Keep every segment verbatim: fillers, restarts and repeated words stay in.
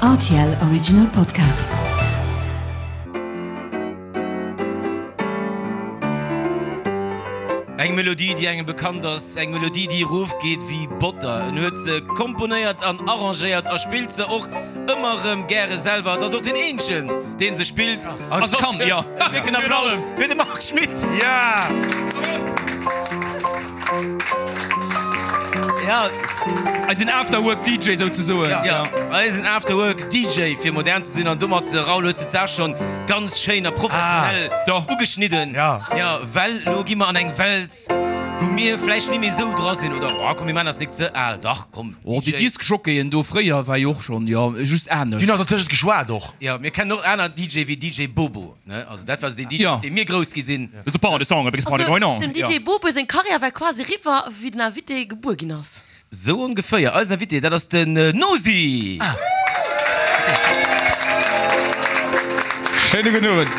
R T L Original Podcast. Eng Melodie, déi engem bekannt ass, eng Melodie, déi erofgeet wéi Botter. En huet se komponéiert an arrangéiert a spillt se och ëmmer erëm gäre selwer. Et ass och deen eenzegen, dee se spillt. Also kann, jo. En décken Applaus fir de Marc Schmitt! Ja! Ja. Eisen Afterwork-D J souzesoen. Ja, eisen Afterwork-D J, fir modern ze sinn. An domat, Raoul, hues de d'Saach schonn ganz schéin a professionell ugeschnidden. Ja. Ja, well elo gi mer an eng Welt, wou mir vläicht ni méi esou dra sinn. Oder, oh komm, mir maachen eis nik ze al. Dach, komm, Oh, déi D J. Diskjockeyen do fréier war jo och schonn, jo, just anescht. Déi hunn nach dertëschent geschwat och. Ja, mir kennen och aner D J wéi D J Bobo, ne? Also dat war esou deen D J, Ja. mat deem mir grouss gi sinn. There's a party song, a big party Also, going on. dem D J Bobo seng Karriär war quasi eriwwer, wéi den Invité gebuer ginn ass. Sou ongeféier. Eisen Invité, dat ass den Nosi! Schéine gudden Owend.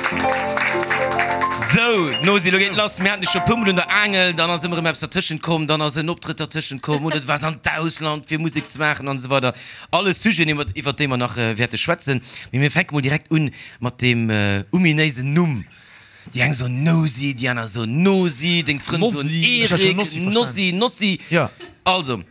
Sou, Nosi, lo geet et lass. Mir haten dech scho puer mol un der Aangel, dann ass ëmmer erëm eppes dertëschent komm, dann ass en Optrëtt dertëschent komm oder du waars an d'Ausland fir Musek ze maachen an esou weider. Alles Sujeten, iwwer iwwer déi mer nach wäerte schwätzen. Mee mir fänke mol direkt un mat deem ominéisen Numm. Déi eng soen Nosy, déi aner soen Nosi, deng Frënn soen Nossi. Ech hat schon Erik, Nossi verstanen. Nossi, Nossi. Ja. Also,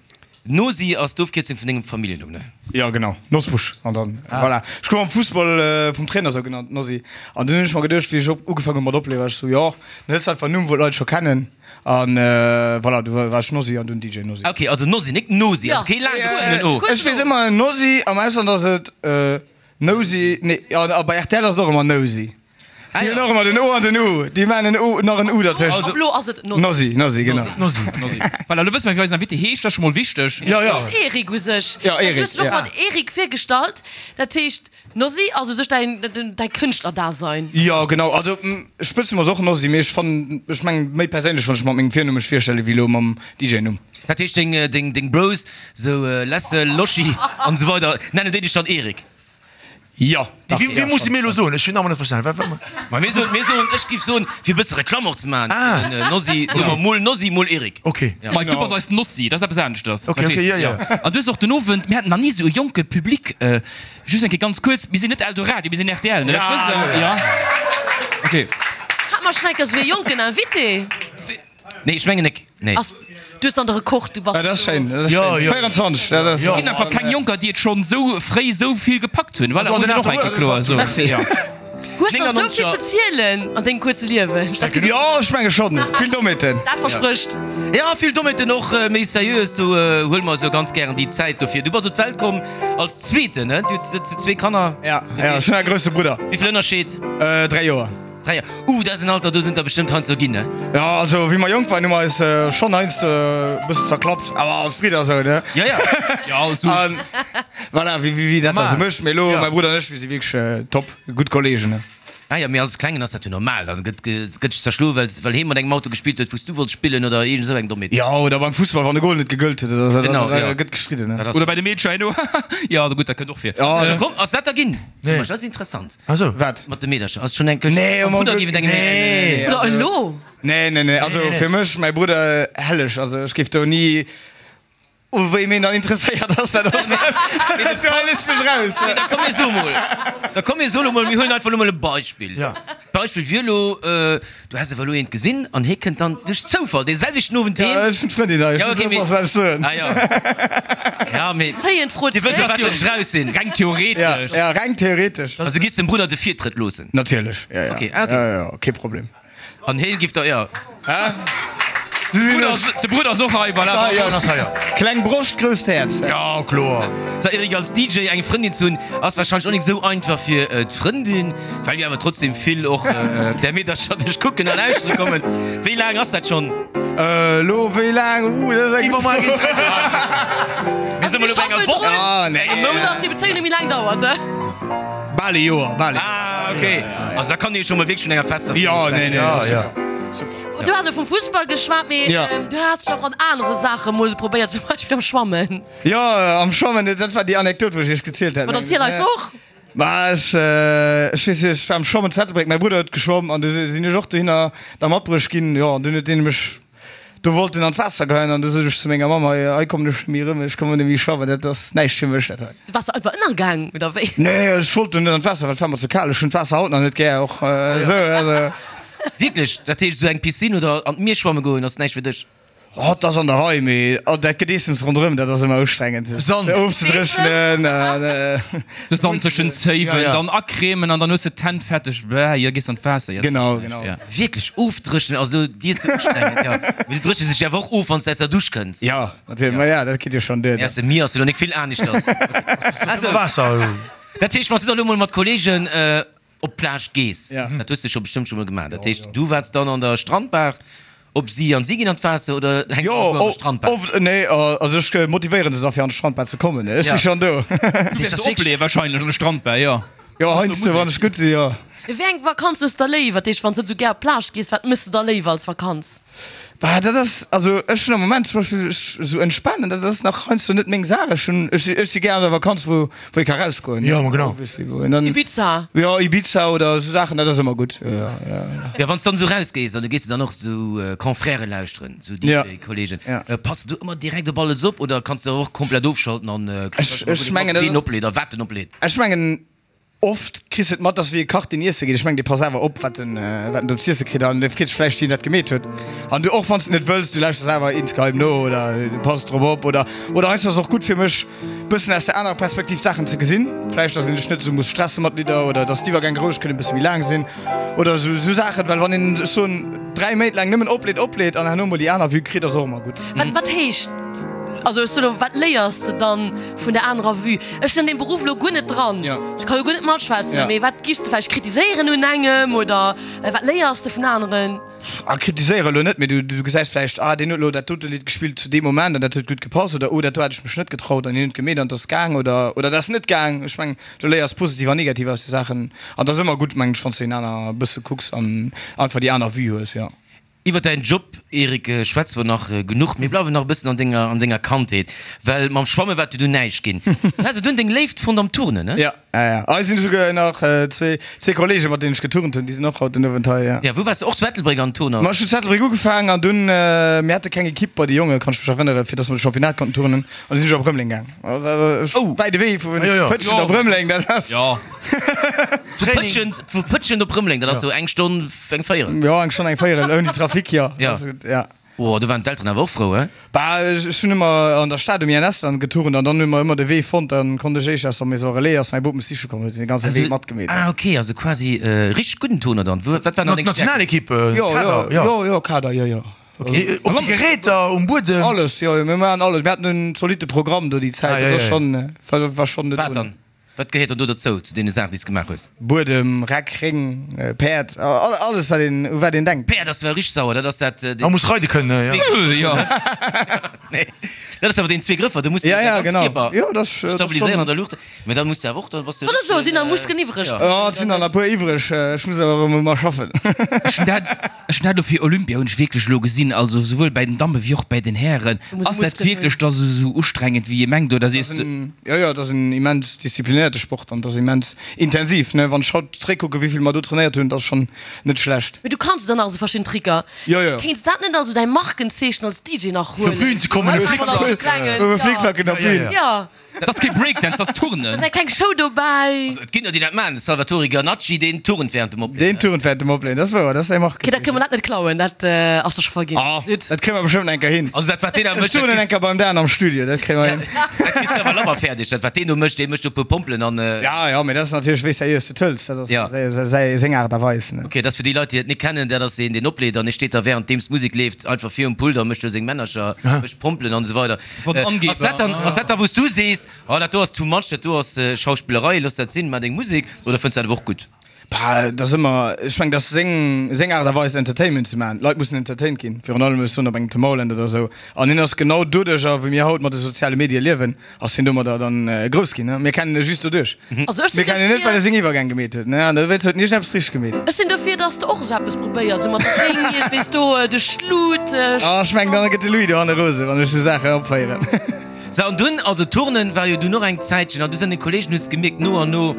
Nosi ass d'Ofkierzung vun dengem Familljennumm, ne? Jo, genau, Nosbusch. An dann, voilà. Ech gouf am Fussball vum Trainer sou genannt, Nossi. An dunn hunn ech mer geduecht, wéi ech op ugefaangen hunn mat opleeën, war ech sou, jo, dann hëls de einfach en Numm, wou d'Leit scho kennen. An voilà, du war ech Nossi an dunn D J Nossi. Ok, also Nossi, nik Nosi, Ja. also kee laang gezunn O. Ech weess ëmmer Nossi, am Ausland ass et Nosy, nee, a bei R T L ass et och ëmmer Nosy. Déi hunn och ëmmer den O an den U. Déi maachen en O, nach en U dertëscht. Also, elo ass et Nosy. Nosy, Nosy, genau. Nosy, Nosy. Voilà, elo wësse mer, wéi eisen Invité heescht. Dat ass scho mol wichteg. Ja, ja. Heescht Eric u sech. Ja, Eric, Du hues dech och ja. mat Eric virgestallt. Dat heescht, Nosy ass u sech däin, däi Kënschtlerdasein. Jo, genau. Also, Spëtznumm ass och Nosy, mee ech fannen, ech mengen, méi perséinlech, wann ech mat mengem Virnumm mech virstelle wéi elo mam D J-Numm. Dat heescht, deng, deng, deng Bros, sou Lessel, Loschi an esou weider, nennen déi dech dann Eric? Jo, dach, Wéi, wéi ja, muss schon. mir elo soen? Ech hunn nach net verstanen. Wat, wat, Ma mir soen, mir soen, ech giff soen, fir e bësse Reklamm och ze maachen, Ah. den Nosy, soe mer mol Nosy, mol Eric. Okay. Ja. Mike, du bass eis Nossi, dat ass eppes aneschters. Okay, okay, Verstees? ja, ja. An du hues och den Owend, mir haten nach ni esou e jonke Public, just eng Kéier ganz kuerz, mir sinn net Eldoradio, mir sinn R T L, ne? Dat wësst Der, ja? Okay. Hat mer schonn eng Kéier esou ee jonken Invité? Nee, ech mengen nek. Nee. Ass, du hues dann de Rekord, du bass. Ah, dat ass schéin, dat ass Ja, schéin. ja. véierenzwanzeg, dat ass. Et ginn einfach keng Jonker, déi et schonn esou fréi esou vill gepackt hunn. Voilà, Also, muss een och eng Kéier kloer soen. Merci. Ja. Hues der esou vill neunundneunzeg ze zielen an dengem kuerze Liewen? Dat gesäit. Jo, ech menge schonn. Vill Dommheeten. Dat versprécht. Ja, vill Dommheeten och méi seriös, sou huele mer esou ganz gären déi Zäit dofir. Du bass op d'Welt komm als Zweeten, ne? Du hues zwee Kanner. Ja, ja, ech hunn e grousse Brudder. Wéi vill Ënnerscheed? Dräi Joer. Dräi Joer. Uh, dat ass en Alter, do sinn der bestëmmt heiansdo ginn, ne? Ja, also wéi mer jonk waren, hu mer eis schonn heiansdo e bëssen zerklappt, awer als Bridder esou, ne? Ja, ja. Ja, esou. An voilà, wéi, wéi dat da sou mécht. Mee elo, mäi Brudder an ech, mir si wierklech top gutt Kolleegen, ne? Ah ja, mee als Klengen ass dat jo normal, dann gëtt gëtt sech zerschloen, well well hee mat engem Auto gespillt huet, wou s du wollts spillen oder iergend esou eng Dommheet. Ja, oder beim Fussball, wann de Goal net gegëllt huet, da, Genau, da ja. gëtt gestridden, ne? Dat ass Oder bei de Meedcher herno. Ja, gutt, dat kënnt och vir. Ja, Also ja. komm, ass dat da ginn? Nee. Zum Beispill, dat ass interessant. Ach so. Wat? Mat de Meedercher, ass schonn eng Këscht Nee, am um Brudder Glück- géif et engem Meedchen. Nee. Oder elo? Nee, nee, nee, also Nee, nee, nee. fir mech, mäi Brudder, helleg, also ech géif do ni. U wéi meen dann interesséiert ass, dat ass, do halen ech mech raus. Da komm mir so mol, da komm mir so lo mol, mir huelen einfach lo mol e Beispill. Ja. Beispill wier lo, du häss awer elo eent gesinn an hee kënnt dann duerch Zoufall dee selwechten Owend heem. Ja, ech hunn d'Frëndin hei, ech Ja, muss okay, mee, oppassen, wat ech soen. ah ja, ja, mee Zéien d'Fro Dir wësst zréck. jo, wat ech raus sinn. Reng Ja, theoretesch. ja, reng theoretesch. Also du giffs dem Brudder de Virtrëtt loossen? Natierlech, ja, ja. Okay, ah, okay. Ja, ja, kee Problem. An hee giff der, ja. Hä? De Brudder ass och hei, voilà. Ja, ass hei, ja. Kleng Broscht, grousst Häerz. Ja, kloer. So Eric, als D J eng Frëndin ze hunn, ass warscheinlech och nik esou einfach fir d'Frëndin, well jo awer trotzdem vill och där Meedercher dech kucken a lauschtere kommen. Wéi laang ass dat schonn? Elo wéi laang? Uh, dat ass eng gutt Fro. Mir si mol elo bei enger Woch, Ah, nee. engem Mount. Dass déi Bezéiung net méi laang dauert. Bal e Joer, bal e Joer. Ah, okay. Also da kann ee scho mol wierklech vun enger fester Frëndin Ja, nee, schwätzen. nee, Ja, dat ass ja. super. Du has jo vum Fussball geschwat, mee Ja. du has dech och an anere Saache mol probéiert, zum Beispill am Schwammen. Jo, am Schwammen, dat war déi Anekdot, wou ech iech gezielt hat. Ma dann ziel eis och. Ma ech, ech weess net, ech war am Schwammen zu Ettelbréck, mäi Brudder huet geschwomm an du sinn ech och dohinner da matbruecht ginn. Jo, an dunn huet deen mech do wollt en an d'Waasser goen an du sot ech zu menger Mamm, hei hei kommen ech net méi erëm, ech kommen net méi schwammen, dat ass näischt fir mech dat hei. Du waars einfach ënnergaang oder wéi? Nee, ech wollt dunn net an d'Waasser, well et war mer ze kal. Ech hunn d'Waasser haut nach net gär och esou, also. Wierklech? Dat heescht esou eng Piscine oder an d'Mier schwamme goen ass näischt fir dech? Oh, dat ass an der Rei, mee oh, dat Gedeessems ronderëm, dat ass ëmmer ustrengend. Sand. Ofzedréchnen an. De Sand tëschent Zéiwen, Ja, ja. dann acremen an dann hues de d'Hänn fetteg, bäh, jo, gees an d'Waasser, jo, dat Genau, ass näischt, genau. ja. Wierklech, ofdréchnen ass elo dir ze ustrengend, jo. Mee du dréchnes dech awer och of, wann s de aus der Dusch kënns. Ja, natierlech, ma ja, dat geet jo schonn duer. Mee aus dem Mier ass jo elo nik vill aneschters. Also Waasser. Dat heescht, wann s du da elo mol mat Kolleegen op d'Plage gees, Ja. dat hues de scho bestëmmt scho mol gemaach, dat heescht, du waarts dann an der Strandbar op si an si ginn an d'Waasser oder hänkt Jo, och an der Strandbar? oft, nee, also ech motivéieren se da fir an d'Strandbar ze kommen, ech Ja. si schonn do. Du wäerts opleeë wahrscheinlech an der Strandbar, jo. Jo, heiansdo, wann ech gutt si, jo. Wéi eng Vakanz hues de da léiwer? Dat heescht, wann s de net esou gär op d'Plage gees, wat méchs de da léiwer als Vakanz? Bah, dat ass, also ech hunn am Moment zum Beispill, ech esou entspanen, dat ass nach heiansdo net meng Saach. Ech hunn, ech, ech si gär an der Vakanz, wou, wou ee ka rausgoen. Jo, ma genau. Obviously, wou een dann. Ibiza? Jo, Ibiza oder esou Saachen, dat ass ëmmer gutt. Jo, jo, jo. Ja, wann s dann esou rausgees, an du gees du dann och esou Confrèrë lauschteren, esou Ja. DJ-Kollegen, Ja. pass du ëmmer direkt op alles op oder kanns de och komplett ofschalten an kriss Ech, ech mengen, ween opleet a wat en opleet? Ech mengen, Oft kriss de et mat, dass wéi e Kach deen iesse geet. Ech mengen, dee passt awer op, wat en, wat en do z'iesse kritt an dee freet sech vläicht, wien dat gemeet huet. An du, och wann s de net wëlls, du lauschters awer insgeheim no oder du passt drop op. Oder, oder heiansdo ass et och gutt fir mech, bëssen aus der anerer Perspektiv d'Saachen ze gesinn. Vläicht, dass een sech net esou muss stresse mat Lidder oder dass d'Iwwergäng roueg kënnen e bësse méi laang sinn oder esou, esou Saachen. Well wann een, ech soen, dräi Méint laang nëmmen opleet, opleet an herno mol déi aner Vue kritt, ass och ëmmer gutt. Wat, wat heescht, also ech soen elo, wat léiers de dann vun der anerer Vue? Ech sinn an deem Beruff elo guer net dran, Ja. ech ka lo guer net matschwätzen, Ja. mee wat giffs de vläicht kritiséieren un engem oder wat léiers de vun aneren? Ah, kritiséiere lo net, mee du, du gesäis vläicht, ah, deen huet lo dat dote Lidd gespillt zu deem Moment an dat huet gutt gepasst oder oh, dat do hat ech mech net getraut an hien huet gemeet an 't ass gaang oder, oder dat ass net gaang. Ech mengen, du léiers positiv an negativ aus de Saachen an 't ass ëmmer gutt, mengen ech, wann s de een aner e bësse kucks an einfach déi aner Vue hues, jo. Iwwer däin Job, Eric, schwätze mer nach genuch. Mir bleiwen nach e bëssen an denger, an denger Kandheet, well mam Schwamme war et jo dunn näischt ginn. Du has jo dunn deng Léift fonnt am Turnen, ne? Ja, ja, ja. Hei sinn esouguer nach zwee, zwee Kollegen, mat deenen ech geturnt hunn, déi sinn och haut den Owend hei, ja. Ja, wou waars de? Och zu Ettelbréck an Turner? Ma ech hunn zu Ettelbréck ugefaangen an dunn, mir hate keng Ekipp bei de Jongen, kann ech mech erënneren, fir dass mer de Championnat konnten turnen, an du sinn ech op Rëmeleng gaang. Wäite Wee vu Pëtschent op Rëmeleng, dat ass. Jo. Vu Pëtschent, vu Pëtschent op Rëmeleng, dat ass sou eng Stonn, eng Véierel. Jo, eng Stonn, eng Véierel, ouni Trafic, jo. Ja. Ja. Oh, do waren d'Elteren awer och frou, he? Bah, ech hunn ëmmer an der Stad um I N S dann geturnt an dann hu mer ëmmer de Wee fonnt, dann konnt ech éischt aus der Maison Relais, ass mäi Bop mech siche komm, huet den ganze Wee matgemeet. Ah, ok, also quasi richteg gudden Turner dann. Wat waren dann deng Stärken? Nationalekipp, Jo, Kader, jo, jo. jo, jo, Kader, jo, jo. Op de Geräter, um Buedem? Alles, jo, jo, mir maachen alles. Mir haten en zolitte Programm do déi Zäit, Ah, ja, dat ass ja, ja. schonn, war, war schonn net Wat ohne. dann? Wat gehéiert dann do dozou, zu deene Saachen, déi s de gemaach hues? Buedem, Reck, Réng, Päerd, alles wat een, u wat een denkt. Päerd ass well richteg sauer, dat ass dat, Man muss reide kënnen, jo. Jo. Nee, dat ass awer deen zwee Grëffer, do muss du Ja, däi ja, ganz genau. Kierper Jo, dat ass, dat ass stabiliséieren schon. an der Luucht. Mä da muss de awer och, da bass de Wollt ech soen, richteg, sinn nach Muskeln iwwreg. jo. Jo, et sinn nach e puer iwwreg, ech muss awer erëm ëmmer schaffen. Ech hunn dat, ech hunn dat elo fir Olympia hunn ech wierklech elo gesinn, also souwuel bäi den Damme wéi och bäi den Hären. Du muss Ass dat Muskeln hunn. wierklech da sou, sou ustrengend wéi ee mengt oder sees de? Jo, jo, et ass en immens disziplinéierte Sport an et ass immens intensiv, ne. Wann ech haut zréckkucken, wéi vill mer do trainéiert hunn, dat ass schonn net schlecht. Mee du kanns dann nach esou verschidden Tricker. Jo, jo. Kéints dat net also däi Markenzeechen als D J nach Op huelen? d'Bühn ze kommen, Einfach e mal Flickflack. esou klengen, Mme ja. Flickflacken op Ja, ja, d'Bühn. ja. Ja. Dat ass kee Breakdance, dat ass Turnen. Da ass eng kleng Show dobäi. Also, et ginn der, déi dat maachen. De Salvatore Ganacci, deen turnt während dem Opleeën. Deen turnt während dem Opleeën, dat ass wouer, dat ass säi Okay, dat kënne Markenzeechen. mer dat net klauen, dat ass da scho verginn. Ah. Gutt. Dat kréie mer bestëmmt eng Kéier hin. Also dat wat deen da Ech mécht, dat turnen eng kriss, Kéier beim Dan am Studio, dat kréie mer hin. dat kriss du awer labber fäerdeg. Dat wat deen do mécht, dee mécht do e puer Pompelen an. Ja, ja, mee dat ass natierlech wéi s de iers de tëlls, dat ass Ja. säi, seng Aart a Weis, ne. Ok, dat ass fir déi Leit, déi et net kennen, dat ass deen, deen opleet an dee steet da währenddeems d'Musek leeft einfach virum Pult a mécht do seng Männercher, mécht Pompelen an esou weider. Von Angeber. Ass dat dann, ass dat da wou s du sees, oh dat do ass too much, dat do ass Schauspillerei, looss dat sinn, maach deng Musek, oder fënns du dat awer och gutt? Bah, dat ass ëmmer, ech mengen, dat ass seng, seng Aart a Weis Entertainment ze maachen. D'Leit mussen entertained ginn, virun allem ech soen op engem Tomorrowland oder esou. An hien ass genau doduercher, wéi mir haut mat de soziale Medie liewen, ass hien domadder dann grouss ginn, ne. Mir kennen e just doduerch. Also ech sinn Mir kennen en net, dofir, well e seng Iwwergäng gemeet huet, ne. An dowéinst huet en iergendeppes richteg gemeet. ech sinn dofir, dass de och esou eppes probéiers, esou mat Ring, ech weess do, de Schlut, Ah, ech mengen, dann gëtt de Louis dohanne rose, wann ech esou Saachen opféieren. Sou, an dunn, also Turnen war jo dunn och eng Zäitchen, an du sinn deng Kollegen, hues gemierkt, no an no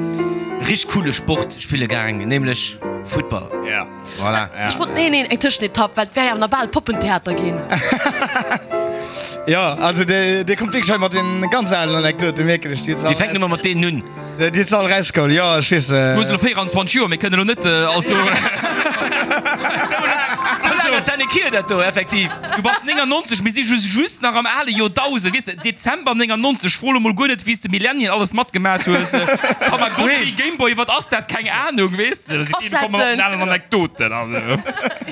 richteg coole Sport spille gaang, nämlech Futtball. Ja. Voilà. Ech wollt, nee, nee, eng Tëschenetapp, well et wär jo awer nach bal Poppentheater ginn. Jo, also dir, dir kommt wierklech hei mat den ganz alen Anekdoten, mierken ech. Déi hutt se all. Mir fänken ëmmer mat deenen un. Déi hutt se all rausgeholl, jo, ech weess. Du hues elo véieranzwanzeg Joer, mir kënnen elo net, also. Sou laang ass dat net hier, dat do, effektiv. Du bass néngannonzeg, mir si just just nach am ale Joerdausend, weess de, Dezember néngannonzeg, fro elo mol guer net, wéi s de Millennial alles matgemat hues, Tamagotchi, Gameboy, wat ass dat, keng Anung, weess de, si komme mat den alen Anekdoten.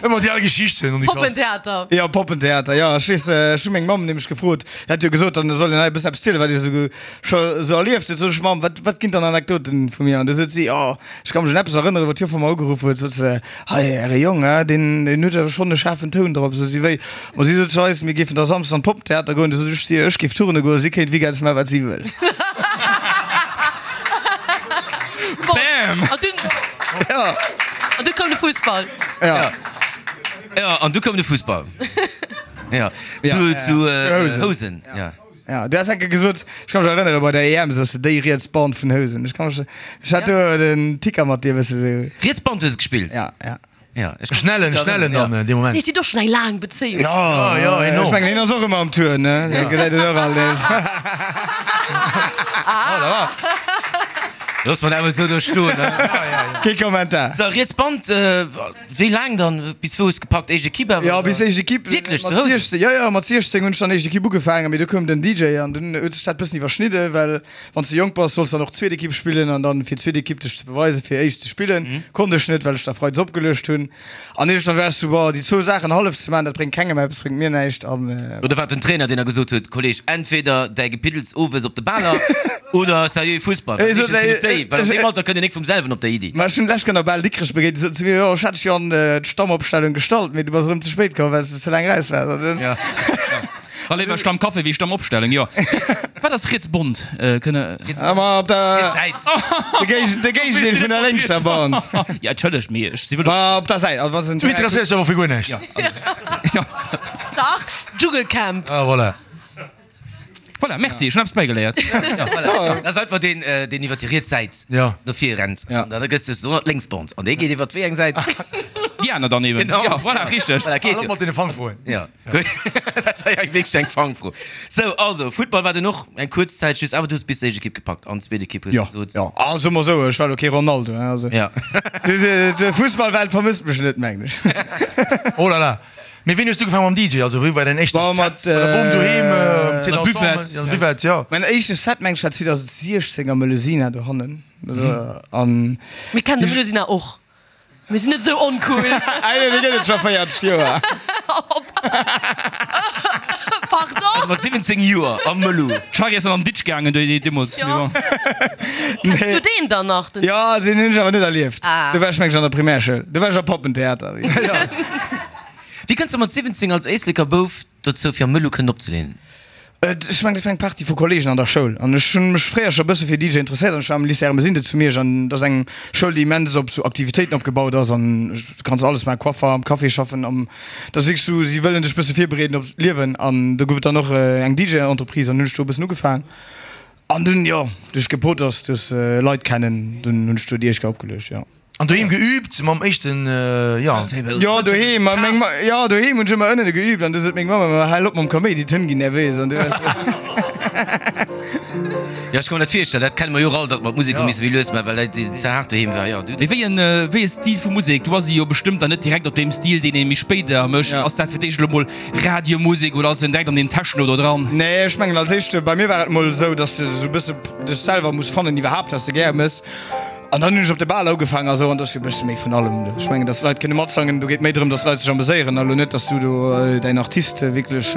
Ëmmer déi al Geschichten an déi Klass. Poppentheater. Jo, Poppentheater, jo, ech weess, ech hu meng Mamm nämlech gefrot, déi hat jo gesot, dann soll een hei e bëssen eppes zielen, wat ee sou scho sou erlieft huet. Sot ech, Mamm, wat, wat ginn dann Anekdoten vu mir? An du sot si, jo, ech ka mech un eppes erënneren, wou d'Joffer mer ugeruff huet, sot se, hei, äre Jong, hein, deen, deen huet awer schonn e schaarfen Toun drop. Sot si, wéi? Ma si sot zu eis, mir géifen da samsdes an d'Poppentheater goen. Du sot ech zu hir, ech géif turne goen, si kéint weekends maachen, wat si wëll. Bon, Bam! an dunn, Jo. an du koum de Fussball. Ja. Ja, an du koum de Fussball. Ja, zu, zu äh, Housen. Ja. Ja, du has enke gesot, ech ka mech erënnere bei der E M, sos de déi riets Band vun Housen. Ech ka mech, ech hat do den Ticker mat dir e bësse sou. Riets Band hues de gespillt? Ja, ja. Ja, ech Schnellen, schnellen dann dee Moment. Heescht, dir hutt och schonn eng laang Bezéiung? Ja, ja, enorm. Ech mengen, hien ass och ëmmer am Tour, ne? Dee gesäit een och alt nees. Looss mer dat emol esou do stoen, ne? Kee Kommentar. So, riets Band, wéi laang dann? Bis wou hues gepackt? Éischt Equipe awer? Jo, bis éischt Equipe. Wierklech? Mat Zu Housen? siechzéng, jo, jo, mat siechzéng hunn ech dann éischt Equipe ugefaangen, mee du koum den D J an dunn huet sech dat bëssen iwwerschnidden, well wann s de jonk bass, solls dann och zweet Equipe spillen an dann fir zweet Equipe dech ze beweisen, fir éischt ze spillen, konnt ech net, well ech da freides opgeluecht hunn. An iergendwann war ech sou, boah, déi zwou Saachen hallef ze maachen, dat bréngt kengem eppes, bréngt mir näischt an. Oder war et den Trainer, deen da gesot huet, Kolleg, entweder däi Gepiddels owes op de Baler oder seriö Fussball? Well meeschtens sinn et déi, well an deem Alter kënnt een nik vum selwen op déi Iddi. Ma ech hunn d'lescht Kéier nach bal Dikrech begéint, déi soten zu mir, jo, ech hat dech jo an d'Stammopstellung gestallt, mee du bass erëm ze spéit komm, well s de ze laang raus waars. An dunn. Da léiwer Stammcafé wéi Stammopstellung, jo. Wat ass riets Bond? Kënne. Ah, ma op der. Riets Säit. De Géigen, de Géigendeel vun der lénkser Band. Ja, entschëllegt, mee ech si wëll. Ma op der Säit, also wa se. Du interesséiers dech awer fir guer näischt. Ja. Dach, Dschungelcamp. Ah, voilà. Voilà, merci, ech hunn eppes bäigeléiert. Voilà. Dat ass einfach deen, deen iwwer déi riets Säit Ja. no vir rennt. Ja. An da gëss de dann d'lénks Band. An dee geet iwwer wéi eng Säit? Déi aner dann eben. Genau. Ja, voilà, richteg. Voilà, geet Hal op jo. mat deene Fangfroen. Ja. Dat war jo eng wierklech eng Fangfro. Sou, also, Futtball war dunn och eng kuerz Zäit just, awer du hues bis d'éischt Ekipp gepackt an d'zweet Ekipp hues Ja, du gesot. ja. Ah, soe mer esou, ech war elo kee Ronaldo, hein, also. Ja. D'Fussballwelt vermësst mech net, mengen ech. Oh là là. Mee wéini hues du ugefaangen mam D J? Also wéi war däin éischte Bon, Set? mat, Bei der Bom doheem, am Thé Mat d'Ensemble, Buvette. ja, Buvette, ja. Mäin éischte Set, meng ech, war zweedausendsechzéng am Melusina dohannen. Also, an. Mir kennen de Melusina och. Mir sinn net esou oncool. Ah, nee, dee gëtt et scho véierzeg Joer. Pardon? Also mat siwwenzéng Joer am Melu. D'Charry ass dann an den Ditsch gaangen deemools. Ja. Mee bon. Kenns du deen dann nach? Den Ja, deen hunn ech awer net erlieft. Ah. Do war ech, meng ech, an der Primärschoul. Do war ech am Poppentheater. Wéi kënns de mat siwwenzéng als Éisleker Bouf dozou fir am Mëllu kënnen opzeleeën? Ech mengen, dat war eng Partie vu Kollegen an der Schoul. An ech hunn mech fréier scho e bësse fir D J interesséiert an ech war am Lycée Ermesinde zu Miersch an dat ass eng Schoul, déi immens op sou Aktivitéiten opgebaut ass an du kanns alles maachen, Coiffer, am Café schaffen, am, dat ass wierklech sou, si wëllen dech e bësse virbereeden op d'Liewen an do gouf et dann och eng D J-Entreprise an hunn ech do e bëssen ugefaangen. An dunn, jo, duerch Gepoters, duerch Leit kennen, dunn hunn ech do déi éischt Kéier opgeluecht, jo. An doheem geübt mam éischten, jo. Jo, doheem, ma meng Ma, jo, doheem hunn ech ëmmer ënnen geübt an du sot meng Mamm ëmmer, Hal op mam Kaméidi, d'Hënn ginn nervös an du hues. Jo, ech ka mer dat virstellen, dat kenne mer jo och all, datt mer d'Musek hu misse méi lues maachen, well dat ze haart doheem war, jo. Du. Mee wéi en, wéi e Stil vu Musek? Du bass jo bestëmmt dann net direkt op deem Stil, deen ee méi spéider mécht. Ass dat fir d'éischt elo mol Radiomusek oder ass en direkt an deem Techno do dran? Nee, ech mengen als éischt, bei mir war et mol esou, datt s de esou e bësse dech selwer muss fannen iwwerhaapt, wat s de gär mëss. An dann hunn ech op de Bal ugefaangen a sou, an dat ass jo e bësse méi vun allem. Ech mengen, datt d'Leit kënne matsangen, do geet méi drëm, datt d'Leit sech ameséieren a lo net, datt s du do däin Artist wierklech.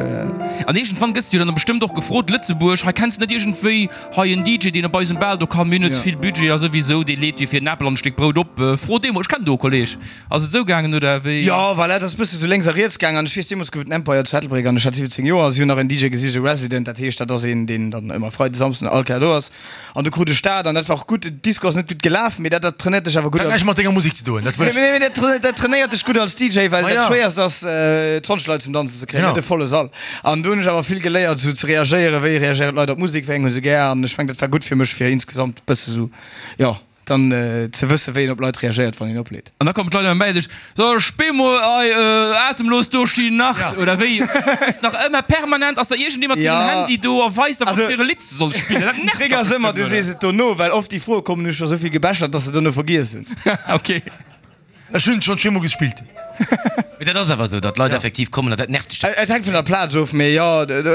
An iergendwann gëss de jo dann bestëmmt och gefrot, Lëtzebuerg, hei kenns de net iergendwéi hei en D J, deen op eisem Bal do kann, mir hunn net vill Budget a souwisou, dee leet jo fir en Apel an e Stéck Brout op, fro dee mol, ech kennen do e Kolleg. Ass et esou gaangen oder wéi? Jo, voilà, et ass e bësse sou lénks a riets gaangen. An ech weess, deemools gouf et den Empire zu Ettelbréck an ech hat siwwenzéng Joer a si hunn nach en D J gesicht, e Resident, dat heescht, dat ass een, deen dann ëmmer Freides, Samsden all Kéier do ass. An du krut ech dat an dat war och gutt. Den Disco ass net gutt gelaf, mee dat dat trainéiert dech awer gutt Dat hat als näischt mat denger Musek ze doen, dat wëll ech. Nee, mee dat dat trainéiert dech gutt als D J, well Ma dat ja. Schwéierst ass zwanzeg Leit zum Danzen ze kréien, Genau. net e volle Sall. An do hunn ech awer vill geléiert esou ze reagéieren, wéi reagéieren d'Leit op d'Musek, wéi eng hu se gär. An ech mengen dat war gutt fir mech fir insgesamt e bësse sou, jo, dann ze wëssen, wéi een op Leit reagéiert, wann een opleet. An da kommen d'Leit ëmmer bäi dech, So, spill mol ei Atemlos durch die Nacht, oder wéi? Ass nach ëmmer permanent, ass da iergendee mat sengem Handy do a weist der, wat fir e Lidd s de solls spillen. Dat Den nervt Trick dach ass ëmmer, bestëmmt, du oder? sees et dono, well oft déi Froe kommen, hu scho sou vill gebechert, dass se dono vergiess hunn. Ok. Ech hunn et schonn zweemol gespillt. Mee dat ass awer esou, datt d'Leit effektiv kommen an dat nervt dech dann. Et hänkt vun der Plaz of, mee jo,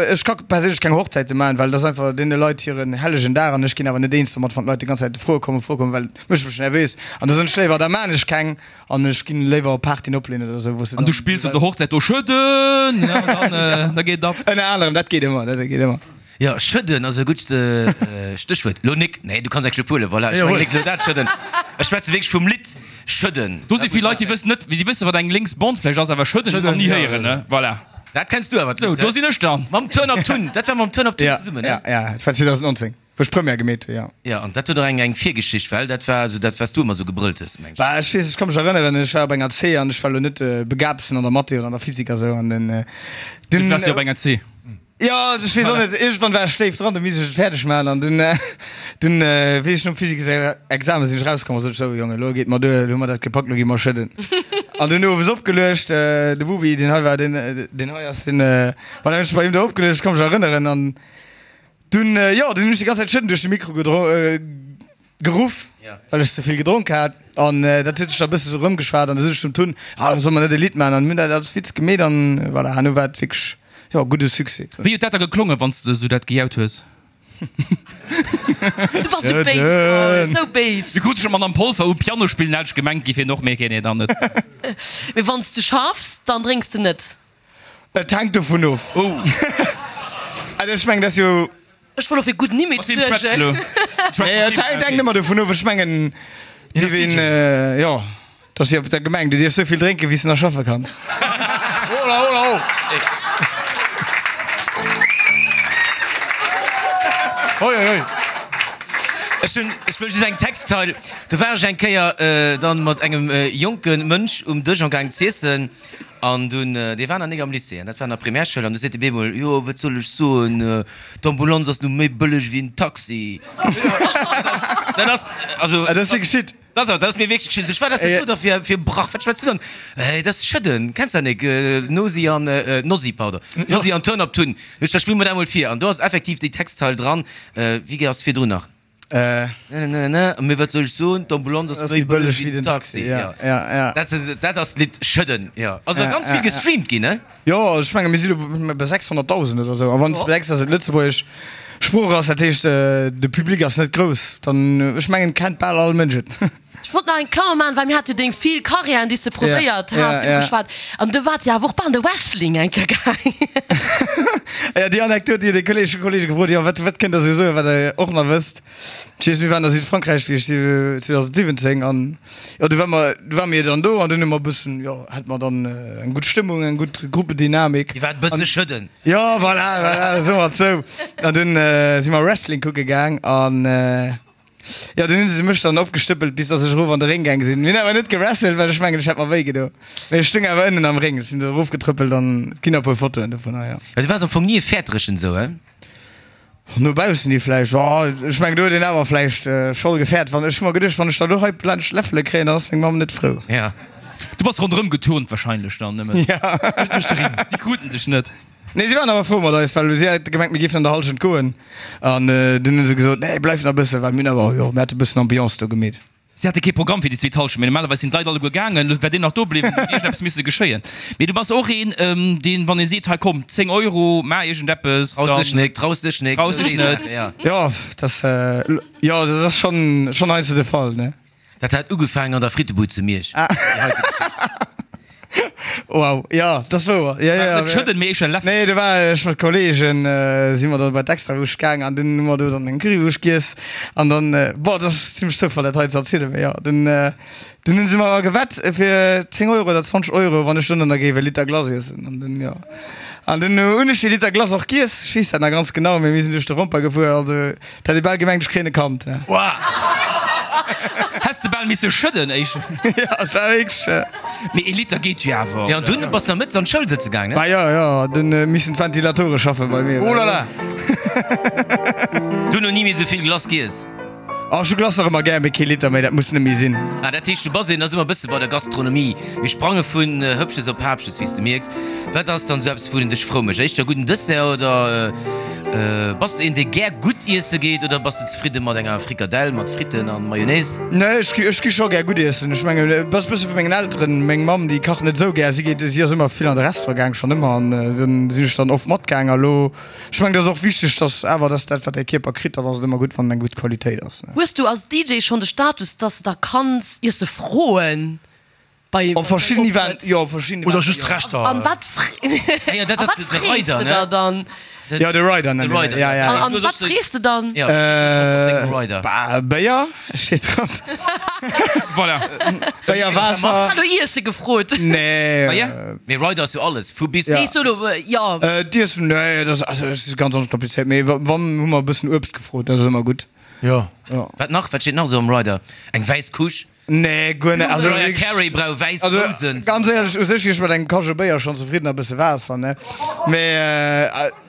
ech ka perséinlech keng Hochzäite maachen, well dat ass einfach deene Leit hiren hellegen Dag an ech ginn awer net eens domat, wann d'Leit déi ganz Zäit Froe kommen, Froe kommen, well et mécht mech nervös an da soen ech léiwer, da maan ech keng an ech ginn léiwer op Partyen opleen oder esou, wou se An du dann spills op der Hochzäit do Schëdden, an dann da geet et ab. Ënner anerem, dat geet ëmmer, dat geet ëmmer. Jo, schëdden ass e gutt Stéchwuert. Lo Nick, nee, du kanns eng Schlëpp huelen, voilà. Ech mengen nik lo dat schëdden. Ech schwätze wierklech vum Lidd Schëdden. Do si vill Leit, déi wëssen net, déi wëssen, wat eng lénks Bond vläicht ass, awer schëdden nach ni héieren, ne? Voilà. Dat kenns du awer, Sou, d'Lidd, do he? sinn ech dann. Mam Turn Up Tun, dat war mam Turn Up Tun zesummen, ne? Ja, ja, dat war zweedausendnonzéng, wou ech Première gemeet hu, jo. Jo, an dat huet och eng eng Virgeschicht, well dat war esou dat, wat s du ëmmer esou gebrëllt hues, meng ech. Bah, ech weess, ech ka mech erënneren, ech war op enger C an ech war lo net de Begaabtsten an der Mathé oder an der Physik a sou an den, Wéi den. waars du op enger C? Jo, ech weess och net, iergendwann war ech déif dran, du misst ech et fäerdeg maachen an dunn, dunn weess ech nom Physiksexamen sinn ech rauskomm a sot ech, sou Jongen, elo geet mer duer, elo hu mer dat gepackt, elo gi mer schëdden. An dunn owes opgeluecht, de Bubi, deen hei war, deen, deen hei ass, deen, voilà, hunn ech bei him do opgeluecht, ech ka mech erënneren an dunn, jo, dunn hunn ech déi ganz Zäit schëdden duerch de Mikro gedro. Geruff, well ech ze vill gedronk hat an dat huet sech da bësse sou rëmgeschwat an du sot ech zum Tun, ah solle mer net e Lidd maachen an mir hunn dat als Witz gemeet an voilà, herno war et wierklech, jo, gudde Succès. Wéi huet dat da geklongen, wann s de sou dat gejaut hues? Du bass sou béis, Paul, sou béis. Du krut sech d'Madame Polfer u Piano spillen, hat ech gemengt, giff hien och, mee nee, dann net. Mee wann s du schaffs, dann drénks de net? Et hänkt dovun of. Also ech mengen, dat ass jo. Ech wollt och fir gudden Image suergen. Nee, et hänkt ëmmer dovun of. Ech mengen, dierf een, jo, et ass wéi op der Gemeng, du dierfs esou vill drénken, wéi s de nach schaffe kanns. Hola, hola, ho! Hoi, hoi, hoi! Ech hunn, ech wëll just eng Textzeil. Do war ech eng Kéier dann mat engem jonke Mënsch um Dësch amgaang z'iessen. An dunn, dee war nach nik am Lycée, an dat war an der Primärschoul, an du seet de bemol, jo, wat soll ech soen, d'Ambulanz ass nu méi bëlleg wéi en Taxi. Dat ass, also. Dat ass dir geschitt? Dat ass, dat ass mir wierklech geschitt. Sot ech, wat ass dat do da fir, fir e Brach, wat schwätz du dann? Hey, dat ass Schëdden, kenns dat nik? Nosi an, Nossi, pardon, Nossi an Turn Up Tun. Sot ech, da spill mer dat emol vir. An do ass effektiv déi Textzeil dran, wéi ass virdrun nach? Mee wat soll ech soen, d'Ambulanz ass méi bëlleg wéi den Taxi. Dat ass d'Lidd Schëdden. Jo, ass och ganz vill gestreamt ginn, ne? Jo, also ech menge mir si lo bei sechshonnertdausend oder esou. A wann s de bedenks, datt et lëtzebuergesch Sprooch ass, dat heescht de Public ass net grouss, dann, ech mengen, kennt bal all Mënsch et. Ech wollt nach eng Klammer maachen, well mir hate jo deng vill Karriären, déi s de probéiert has, ugeschwat. An du waart jo awer och bal an de Wrestling eng Kéier gaang. Jo, déi Anekdot, déi huet e Kolleeg, Kollege gefrot, jo, wat, wat kënnt der esou soen, wat der och nach wësst. Ech weess, mir waren a Südfrankräich, wéi ech si, zweedausendsiwwenzéng, an jo, du war mer, du ware mir dann do an dunn hu mer e bëssen, jo, hate mer dann eng gutt Stëmmung, eng gutt Gruppendynamik. Dir waart e bësse schëdden. Jo, voilà, voilà, soe mer et sou. An dunn si mer Wrestling kucke gaang an. Jo, dunn hunn se mech dann opgestëppelt, bis dass ech erof an de Réng gaang sinn. Mir hunn awer net gewrestelt, well ech mengen, ech hätt mer wéi gedo. Mee ech stung awer ënnen am Réng, ech sinn do erofgetrëppelt an et ginn e puer Fotoen dovunner, jo. Du waars am Fong ni e Fäerterechen esou, he? No baussen hi vläicht, jo. Ech mengen, do huet een awer vläicht scho gefäert. Wann, ech hu mer geduecht, wann ech da lo hei laanscht Läffele kréien, dann ass meng Mamm net frou. Ja. Du bass ronderëm geturnt wahrscheinlech dann nëmmen. Ja. Si kruten dech net. Nee, si waren awer frou mat eis, well si hate gemengt, mir géifen an der Hallschent goen. An dunn hu se gesot, Nee, bleift nach e bëssen, well mir hunn awer, jo, mir hate e bëssen Ambiance do gemeet. Si hate kee Programm fir déi zweet Hallschent, mee normalerweis sinn d'Leit alleguer gaangen. Elo wär deen nach do bliwwen, huet iergendeppes misse geschéien. Mee du bass och een, deen, wann ee seet, hei komm, zéng Euro, maach iergendeppes, Traus dech dann nek, traus dech nek, traus dech net. Jo, dat, jo, dat ass schonn, schonn heiansdo de Fall, ne? Dat hat ugefaangen an der Frittebud zu Miersch. Wow, jo, dat ass wouer. Jo, jo. Net schëdden, mee éischer läffelen. Nee, do war ech mat Kollegen, si mer da bei d'Extrawurscht gaang an dunn hu mer do dann eng Currywurscht giess an dann, boah, dat ass zimmlech Zoufall dat hei ze erzielen, mee jo, dunn, dunn hu se mer gewett fir zéng Euro oder zwanzeg Euro, wann ech dunn dann da géif e Liter Glace iessen an dunn, jo. An dunn hunn ech dee Liter Glace och giess, ech weess dat nach ganz genau, mee mir sinn duerch de Romper gefuer, also et hätt ee bal gemengt, ech kréien e Kand. Häss de bal misse schëdden éischt. Jo, et war wierklech. Mee ee Liter geet jo awer. Jo, an dunn bass de nach mëttes an d'Schoul sëtze gaang, ne? Bah jo, jo, dunn missen d'Ventilatore schaffe bei mir. Oh la la! Dunn no ni méi esou vill Glace giess. Oh, ech hu Glace nach ëmmer gär, mee kee Liter méi, dat muss net méi sinn. Ah, dat heescht, du bass een, da si mer e bësse bei der Gastronomie. Mir sprange vun Hëppches op Haapches, wéi s de mierks. Wat ass dann esou eppes, wou en dech frou mécht? Éischter e gudden Dessert oder bass de een, dee gär gutt iesse geet oder bass de zefridde mat enger Frikadell mat Fritten a Mayonnaise? Nee, ech gi, ech gi scho gär gutt iessen. Ech mengen, et ass e bësse vu mengen Elteren. Meng Mamm, déi kacht net esou gär. Si geet, si ass ëmmer vill an de Restaurant gaang, schonn ëmmer, an dann sinn ech dann oft matgaang. A lo, ech mengen, et ass och wichteg, dass awer, dass dat, wat däi Kierper kritt, dann ass et ëmmer gutt, wann et eng gutt Qualitéit ass. Hues du als DJ schonn de Status, dass de da kanns Iesse froen bei Op verschidden Optrëtt? Event, jo, op verschidden Oder Eventer, just jo. Rechter. An wat Ah jo, dat a ass wat de de frees Rider, de ne? der dann? Jo, de Rider De nennen Rider, ja, ja. ja. An Du hues wat och sou. frees de dann? Ja, wat steet drop op dengem Rider? Bah, Béier steet drop. Voilà. Béier, Waasser. Ech hat no Iesse gefrot. Nee. Ah ja? Mee Rider ass jo alles, vu bis. Nee, solo, jo. D'Iessen, nee, dat ass, also, dat ass ganz onkomplizéiert. Mee wann, hu mer e bëssen Uebst gefrot, dat ass ëmmer gutt. Jo. Wat nach? Wat steet nach esou am Rider? Eng wäiss Couche? Nee, guer net. Also, Mariah Carey brauch wäiss also, Rousen. ganz éierlech, u sech wier ech mat engem Kajou Béier schonn zefridden a bësse Waasser, ne? Mee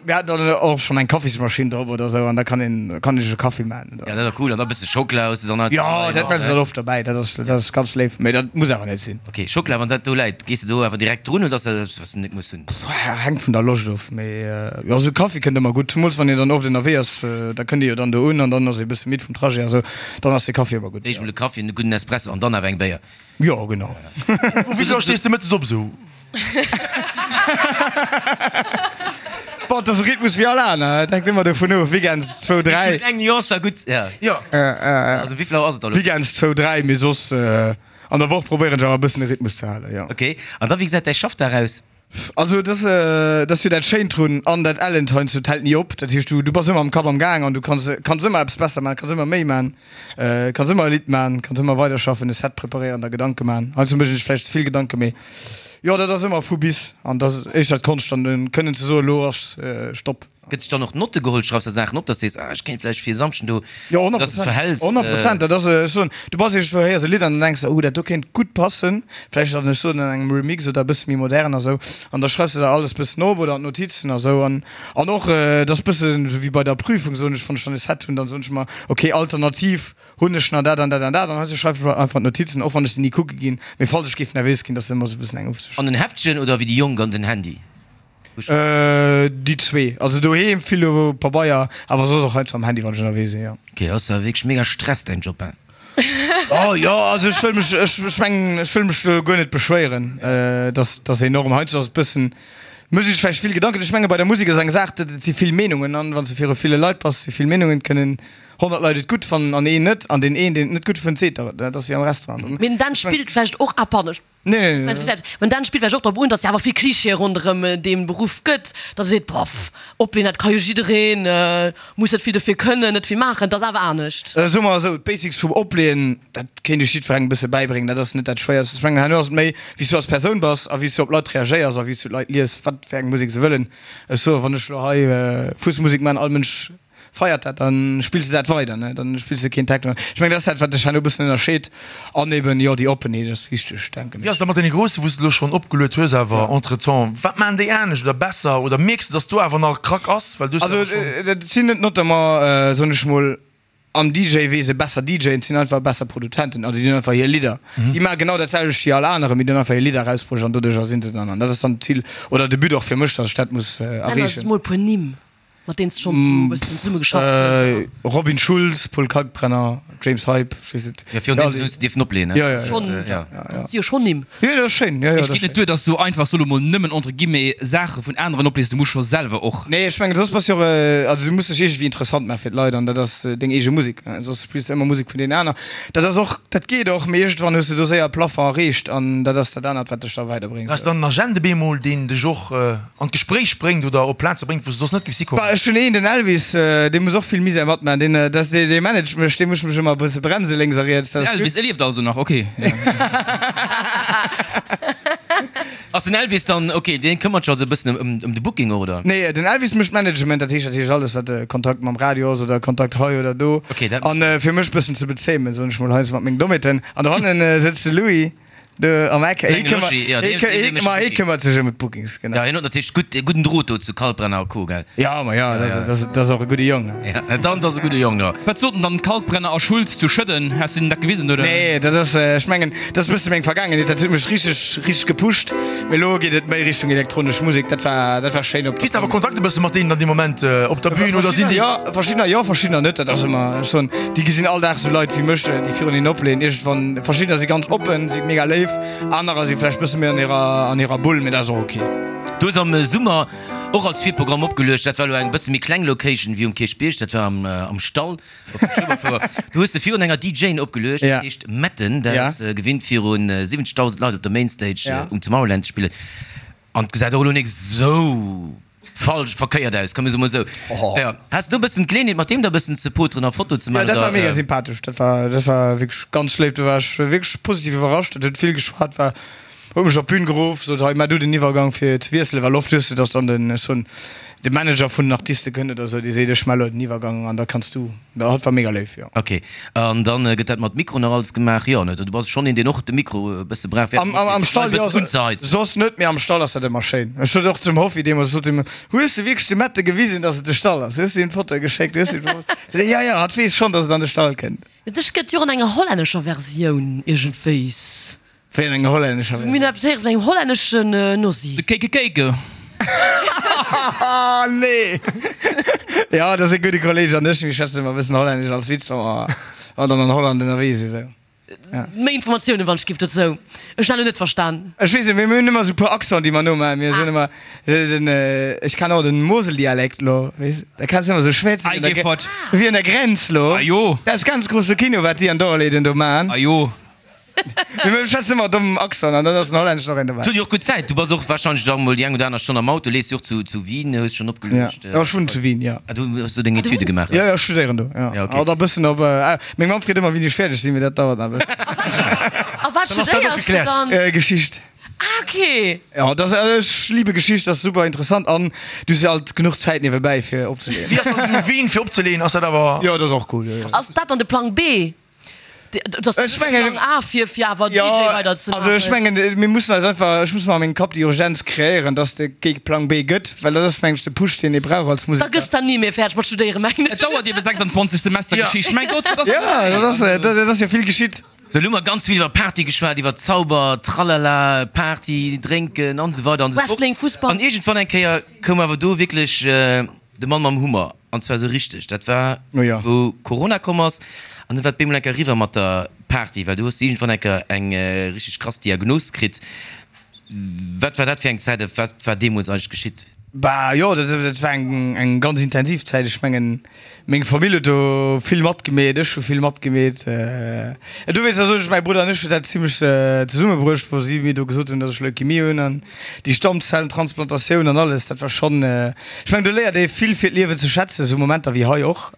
mir haten dann och schonn eng Kaffismaschinn drop oder esou an da kann een, kann ee sech e Kaffi maachen. Ja, dat ass cool. An da bësse Schockela hues de dann Jo, dat maache se dann oft derbäi. Dat ass, dat ass ganz léif. Mee dat muss awer net sinn. Ok, Schockela, wann dat do läit, gees de do awer direkt drun oder ass dat eppes, wat s de net muss hunn? Hänkt vun der Loscht of. Mee jo, esou Kaffi kënnt ëmmer gutt. Zemools wann een dann oft ënnerwee ass, da kënnt ee jo dann do un an dann ass ee bësse midd vum Trajet a sou. Dann ass de Kaffi ëmmer gutt. Éischt mol e Kaffi, en gudden Espresso an dann awer eng Béier. Jo, genau. Wéi vill Auer stees de mëttes op esou? Boah, dat ass e Rhythmus wéi all aner. Et hänkt ëmmer dovun of, Weekends zwou, dräi. Déi kleng Nuance war gutt, ja. Jo. Also wéi vill Auer ass et da lo? Weekends zwou, dräi, mee soss an der Woch probéieren ech awer e bëssen e Rhythmus ze halen, jo. Ok, an da wéi gesäit däi Schaffdag aus? Also et ass, et ass jo dat Schéint drun an dat Ellent heiansdo, et hält ni op. Dat heescht, du, du bass ëmmer am Kapp am Gaang an du kanns, kanns ëmmer eppes besser maachen, kanns ëmmer méi maachen, kanns ëmmer e Lidd maachen, kanns ëmmer weiderschaffen, e Set preparéieren, der Gedanke maachen. Heiansdo mécht een sech vläicht ze vill Gedanken, mee jo, dat ass ëmmer vu bis an dat ass éischter d'Konscht dann kënnen ze soen, elo ass Stopp. Gëtt sech dann och Notte geholl? Schreifs der Saachen op, dass de sees, ah, ech kéint vläicht fir e Samschden do, Jo, honnert dass de Prozent. verhäls? Honnert Prozent. Dat ass, ech soen, du bass iergendwou, héiers e Lidd an dann denks de, oh, dat do kéint gutt passen, vläicht dann, ech soen, an engem Remix oder e bësse méi modern a sou. An da schreifs de der alles bëssen op oder an d'Notizen a sou. An, an och, dat ass bëssen esou wéi bei der Prüfung, soen ech, wann ech dann e Set hunn, dann soen ech mer, okay, alternativ hunn ech nach dat an dat an dat. An heiansdo schreif ech mer einfach d'Notizen, och wann ech se ni kucke ginn, mee falls ech géif nervös ginn, dass se ëmmer esou e bëssen eng Upsicht. An en Heftchen oder wéi déi Jonk an den Handy? Déi zwee. Also doheem vill op Pabeier, awer soss och heiansdo am Handy, wann ech ënnerwee sinn, jo. Ok, ass awer wierklech mega Stress däin Job, hein? Oh jo, also ech wëll mech, ech, ech mengen, ech wëll mech do guer net beschwéieren. Dat ass, dat ass enorm. Heiansdo ass et bëssen, mécht ee sech vläicht vill Gedanken. Ech menge bei der Musek ass eng Saach, dat et si vill Meenungen an wann s de viru ville Leit bass, si vill Meenungen, et kënnen honnert Leit et gutt fannen an een net an deen een, deen et net gutt fënnt, seet der et. Dat ass wéi am Restaurant. Mee den Dan spillt vläicht och ah pardon, ech Nee, nee, nee. Mä dann spillt vläicht och drop un, datt et awer vill Klischeeë ronderëm dee Beruff gëtt, datt ee seet, boff, opleeën, dat ka jo jiddereen, muss net vill dofir kënnen, net vill maachen, et ass awer anescht. Soe mer esou, d'Basics vum Opleeën, dat kéint ech jiddwerengem e bësse bäibréngen, dat ass net dat Schwéierst. Ech mengen, herno ass et méi, wéi s du als Persoun bass a wéi s du op Leit reagéiers a wéi s du d'Leit lies, wat fir eng Musek se wëllen. Ech soen, wann ech elo hei Fuesmusek maachen, all Mënsch feiert dat, dann spills de dat weider, ne, dann spills de keen Techno. Ech mengen, dat ass dat, wat dech herno e bëssen ënnerscheet. An eben, jo, déi Oppenheet ass wichteg, denken Wéi ech. ass et da mat deene Groussen, wou s de elo schonn opgeluet hues awer entretemps? Wat maachen déi anescht oder besser? Oder mierks de, datt do awer nach Krack ass? Well du hues jo Also, awer schonn. dat sinn net notamment, soen ech mol, am DJ-Wese besser DJen, et sinn einfach besser Produzenten. Also déi hunn einfach hir Lidder. Déi maache genau dat selwecht wéi all anere, mee déi hunn einfach hir Lidder erausbruecht an doduercher sinn se dann. An dat ass dann d'Zil oder de But och fir mech, datt ech dat muss Nenn eis erreechen. mol e puer Nimm. Mat deenen s de schonns esou e bëssen zesumme geschafft hues? Robin Schulz, Paul Kalkbrenner, James Hype, ech weess net. Jo, virun deenen hues de dierfen opleeën, ne? Jo, jo, jo. Schonn, Ja. dat si jo schonn Nimm. Jo, dat ass schéin, jo, jo, Et dat ass geet net schéin. duer, dass du einfach soll emol nëmmen entre guillemets Saache vun aneren oplees, du muss scho selwer och. Nee, ech mengen, soss bass jo och, also du muss dech iergendwéi interessant maache fir d'Leit an dat ass deng eege Musek. Soss spills de ëmmer Musek vun deenen aner. Dat ass och, dat geet och, mee iergendwann hues de do séier e Plafond erreecht an dat ass dat anert, wat dech da weiderbréngt. Ass dann en Agent op eemol, deen dech och an d'Gespréich bréngt oder op Plaze bréngt, wou s de soss net géifs hikommen? Bah, ech hunn een, den Elvis, dee muss och vill Misär matman, deen, dat dee, dee managt mech, dee muss mech ëmmer e bësse bremse lénks a riets, dat Den ass Elvis, gutt. e lieft also nach, ok. Ass den Elvis dann, ok, deen këmmert sech also e bëssen ëm, ëm de Booking, oder? Nee, den Elvis mécht Management, dat heescht, dat heescht alles, wat Kontakt mam Radio ass oder Kontakt hei oder do. Ok, dat. An fir mech bëssen ze bezéimen, soen ech mol heiansdo mat mengen Dommheeten. An dohannen sëtzt de Louis. Do am Eck. Hie Klenge Loschi, ja, deen, deen, dee mécht Ma hie Booking. këmmert sech ëm d'Bookings, genau. Ja, hien huet natierlech gutt, gudden Drot do zu Kalkbrenner a Co, gell? Ja, ma ja, dat ass, dat ass och e gudde Jong. Ja, dann ass e gudde Jong, jo. Wat soten dann Kalkbrenner a Schulz zu Schëdden? Has de hinnen dat gewisen, oder? Nee, dat ass, ech mengen, dat ass e bësse meng Vergaangenheet, dat huet mech richteg, richteg gepusht. Mee elo geet et méi Richtung elektronesch Musek, dat war, dat war schéin op der Kriss de awer Kontakt e bësse mat deenen dann dee Moment op der Bühn oder sinn Verschiddener déi. jo, verschiddener jo, verschiddener net. Dat ass ëmmer, ech soen, déi gesinn all Dag esou Leit wéi mech, déi virun hinnen opleeën. Iergendwann, verschiddener si ganz oppen, si mega léif, anerer si vläicht bësse méi an hirer, an hirer Bull, mee dat ass och ok. Du hues am Summer och als Virprogramm opgeluecht, dat war elo eng bësse méi kleng Location wéi um Kierchbierg, dat war am, am Stall. Op der Schueberfouer. Do hues de virun enger DJane opgeluecht, dat heescht Metten, dat ass gewinnt virun siwwenzegdausend Leit op der Mainstage um Tomorrowland ze spillen. An et gesäit och elo nik esou falsch, verkéiert aus, komm mir soe mol esou. Jo, has de do e bëssen d'Geleeënheet mat deem da e bëssen ze poteren a Foto ze Jo, maachen dat war oder? mega sympathesch, dat war, dat war wierklech ganz léif, do war ech wierklech positiv iwwerrascht, dat huet vill geschwat, war, huet mech op d'Bün geruff, sot, hei, maach du den Iwwergang fir ze wiesselen, well oft hues de, dass dann den, ech soen, de Manager vun den Artiste kënnt oder esou, dee seet, ech maache lo den Iwwergang an da kanns du. Dat war mega léif, jo. Ok, an dann gëtt dat mat Mikro nach alles gemaach? Jo, ne? Du bass schonn een, deen och de Mikro e bësse brauch, fir Am, am, am Stall, e jo, bëssen unzeheizen. Soss net, mee am Stall ass dat ëmmer schéin. Ech sot och zum Hoffi deemools, sot him, Hues de wierklech dem Mette gewisen, dass et de Stall ass? Hues de him d'Fotoe geschéckt? Hues de him. Sot hie, Jo, jo, hatt weess schonn, dass et an de Stall kënnt. Dech gëtt jo och an enger hollännescher Versioun iergendwéis. Wéi an enger hollännescher Mir hunn eppes héiere vun engem hollänneschen Nossi. De Kéike Kéike. Haha, nee! Jo, dat ass e gudde Kolleeg an ech, mir schwätzen ëmmer e bëssen Hollännesch als Witz, wa mer dann an Holland ënnerwee sinn, sou. Méi Informatiounen wann ech giff dozou. Ech han lo net verstan. Ech weess net, mee mir hunn ëmmer sou e puer Accenten, déi mer nomaachen. Mir soen ëmmer den, ech kann och den Moseldialekt lo, weess, da kanns de ëmmer sou schwätzen Ei, geh fort. wéi un der Grenz lo. Ah jo. Dat ass ganz grousse Kino, wat déi an Dorleden do maachen. Ah jo. Mee mir schwätzen ëmmer domm Accent an dann ass den Hollänneschen och een dobäi. Du hues jo och gutt Zäit. Du bass och warscheinlech da mol déi eng oder aner Stonn am Auto, lees jo och zu zu Wien, hues schonn opgeluecht. Jo, ech wunnen zu Wien, jo. Ah, du hues do deng Etüde gemaach? Jo, jo, ech studéieren do, jo. Ja, okay. Oder e bëssen op, ah, meng Mamm freet ëmmer, wéini ech fäerdeg sinn, mee dat dauert nach e bëssen. A wat studéiers de dann? Geschicht. Ah, okay. Jo, dat ass, ech liebe Geschicht, dat ass super interessant an du hues jo alt genuch Zäit niewebäi fir opzeleeën. Wéi ass dann zu Wien fir opzeleeën? Ass dat awer. Jo, dat ass och cool, jo, jo. Ass dat dann de Plang B? Ech mengen, A fir fir awer D J weider ze maachen. Also ech mengen, mir mussen eis einfach, ech muss mer a mengem Kapp déi Urgenz kreéieren, dass et kee Plang B gëtt, well dat ass mengen ech de Push, deen ee brauch als Da Museker. gëss der ni méi fäerdeg mat studéieren, mengen Et ech. dauert ebe sechsundzwanzeg Semester Geschicht, mäi Gott, wat ass Jo, dat ass, dat ass jo vill geschitt. Sou, elo hu mer ganz vill iwwer Party geschwat, iwwer Zauber, Tralala, Party, Drénken an esou weider an esou fort. Wrestling, Fussball. An iergendwann eng Kéier koum awer do wierklech de Mann mam Hummer, an zwar esou richteg. Dat war, wou Corona komm ass. An du war et bemol enker eriwwer mat der Party, well du hues iergendwann enker eng richteg krass Diagnos kritt. Wat war dat fir eng Zäit a wat war deemools eigentlech geschitt? Bah jo, dat dat war eng eng ganz intensiv Zäit. Ech mengen, meng Famill huet do vill matgemeet, ech hu vill matgemeet. Dowéinst soen ech, mäi Brudder an ech hunn dat zimmlech zesummebruecht, wou si mir do gesot hunn, datt ech Leukemie hunn an déi Stammzellentransplantatioun an alles. Dat war schonn, ech mengen, do léiert ee vill fir d'Liewen ze schätzen, esou Momenter wéi hei och.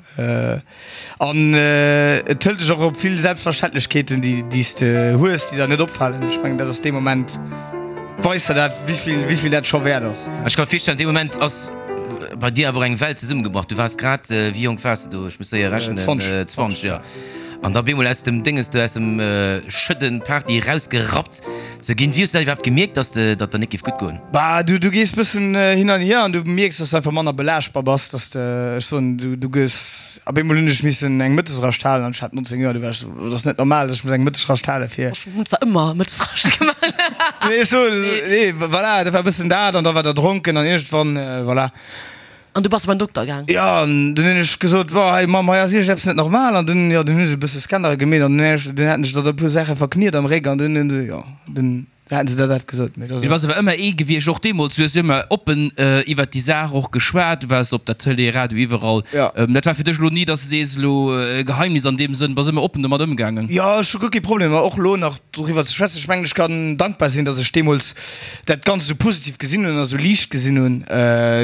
An et hëlt dech och op vill Selbstverständlechkeeten, déi déi s de hues, déi der net opfalen. Ech mengen, dat ass dee Moment, weist der dat, wéivill wéivill dat scho wäert ass. Ech ka mer virstellen, dee Moment ass bei dir awer och eng Welt zesummegebrach. Du waars grad, wéi jonk waars de do? Ech muss séier rechnen, zwanzeg, jo. An da bemol aus dem Dénges do, aus dem Schëdden, Party erausgerappt ze ginn. Wéi hues du dat iwwerhaapt gemierkt, dass de, datt der net géif gutt goen? Bah, du, du gees bëssen hin an hier an du mierks, dass du einfach manner belaaschtbar bass, dass de, ech soen, du, du gëss, op eemol hunn ech missen eng Mëttesrascht halen an ech hat nonzéng Joer, du war ech esou, dat ass net normal, dass ech muss eng Mëttesrascht hale fir. Ech hunn zwar ëmmer Mëttesrascht gemaach. Nee, ech soen, nee, voilà, dat war bëssen dat an da war der dronken an iergendwann, voilà. An du bass beim Dokter gaang? Jo, an dunn hunn ech gesot, Boah, hei Mamm, hei ass iergendeppes net normal. An dunn, jo, dunn hu se e bësse Scannere gemeet an dunn dunn haten ech der da e puer Saache verkniet am Réck an dunn hunn se, jo, dunn haten se der dat gesot. Mee dat Du bass awer ëmmer ee gewiescht, och deemools, du hues ëmmer oppen iwwert déi Saach och geschwat, du waars op der Tëlee, Radio, iwwerall. Jo. Dat war fir dech elo ni, dass de sees, elo e Geheimnis an deem Sënn, bass ëmmer oppen domat ëmgaangen? Jo, ech hu guer kee Problem, och elo nach doriwwer ze schwätzen. Ech mengen, ech kann dankbar sinn, dass ech deemools dat Ganzt esou positiv gesinn hunn a sou liicht gesinn hunn.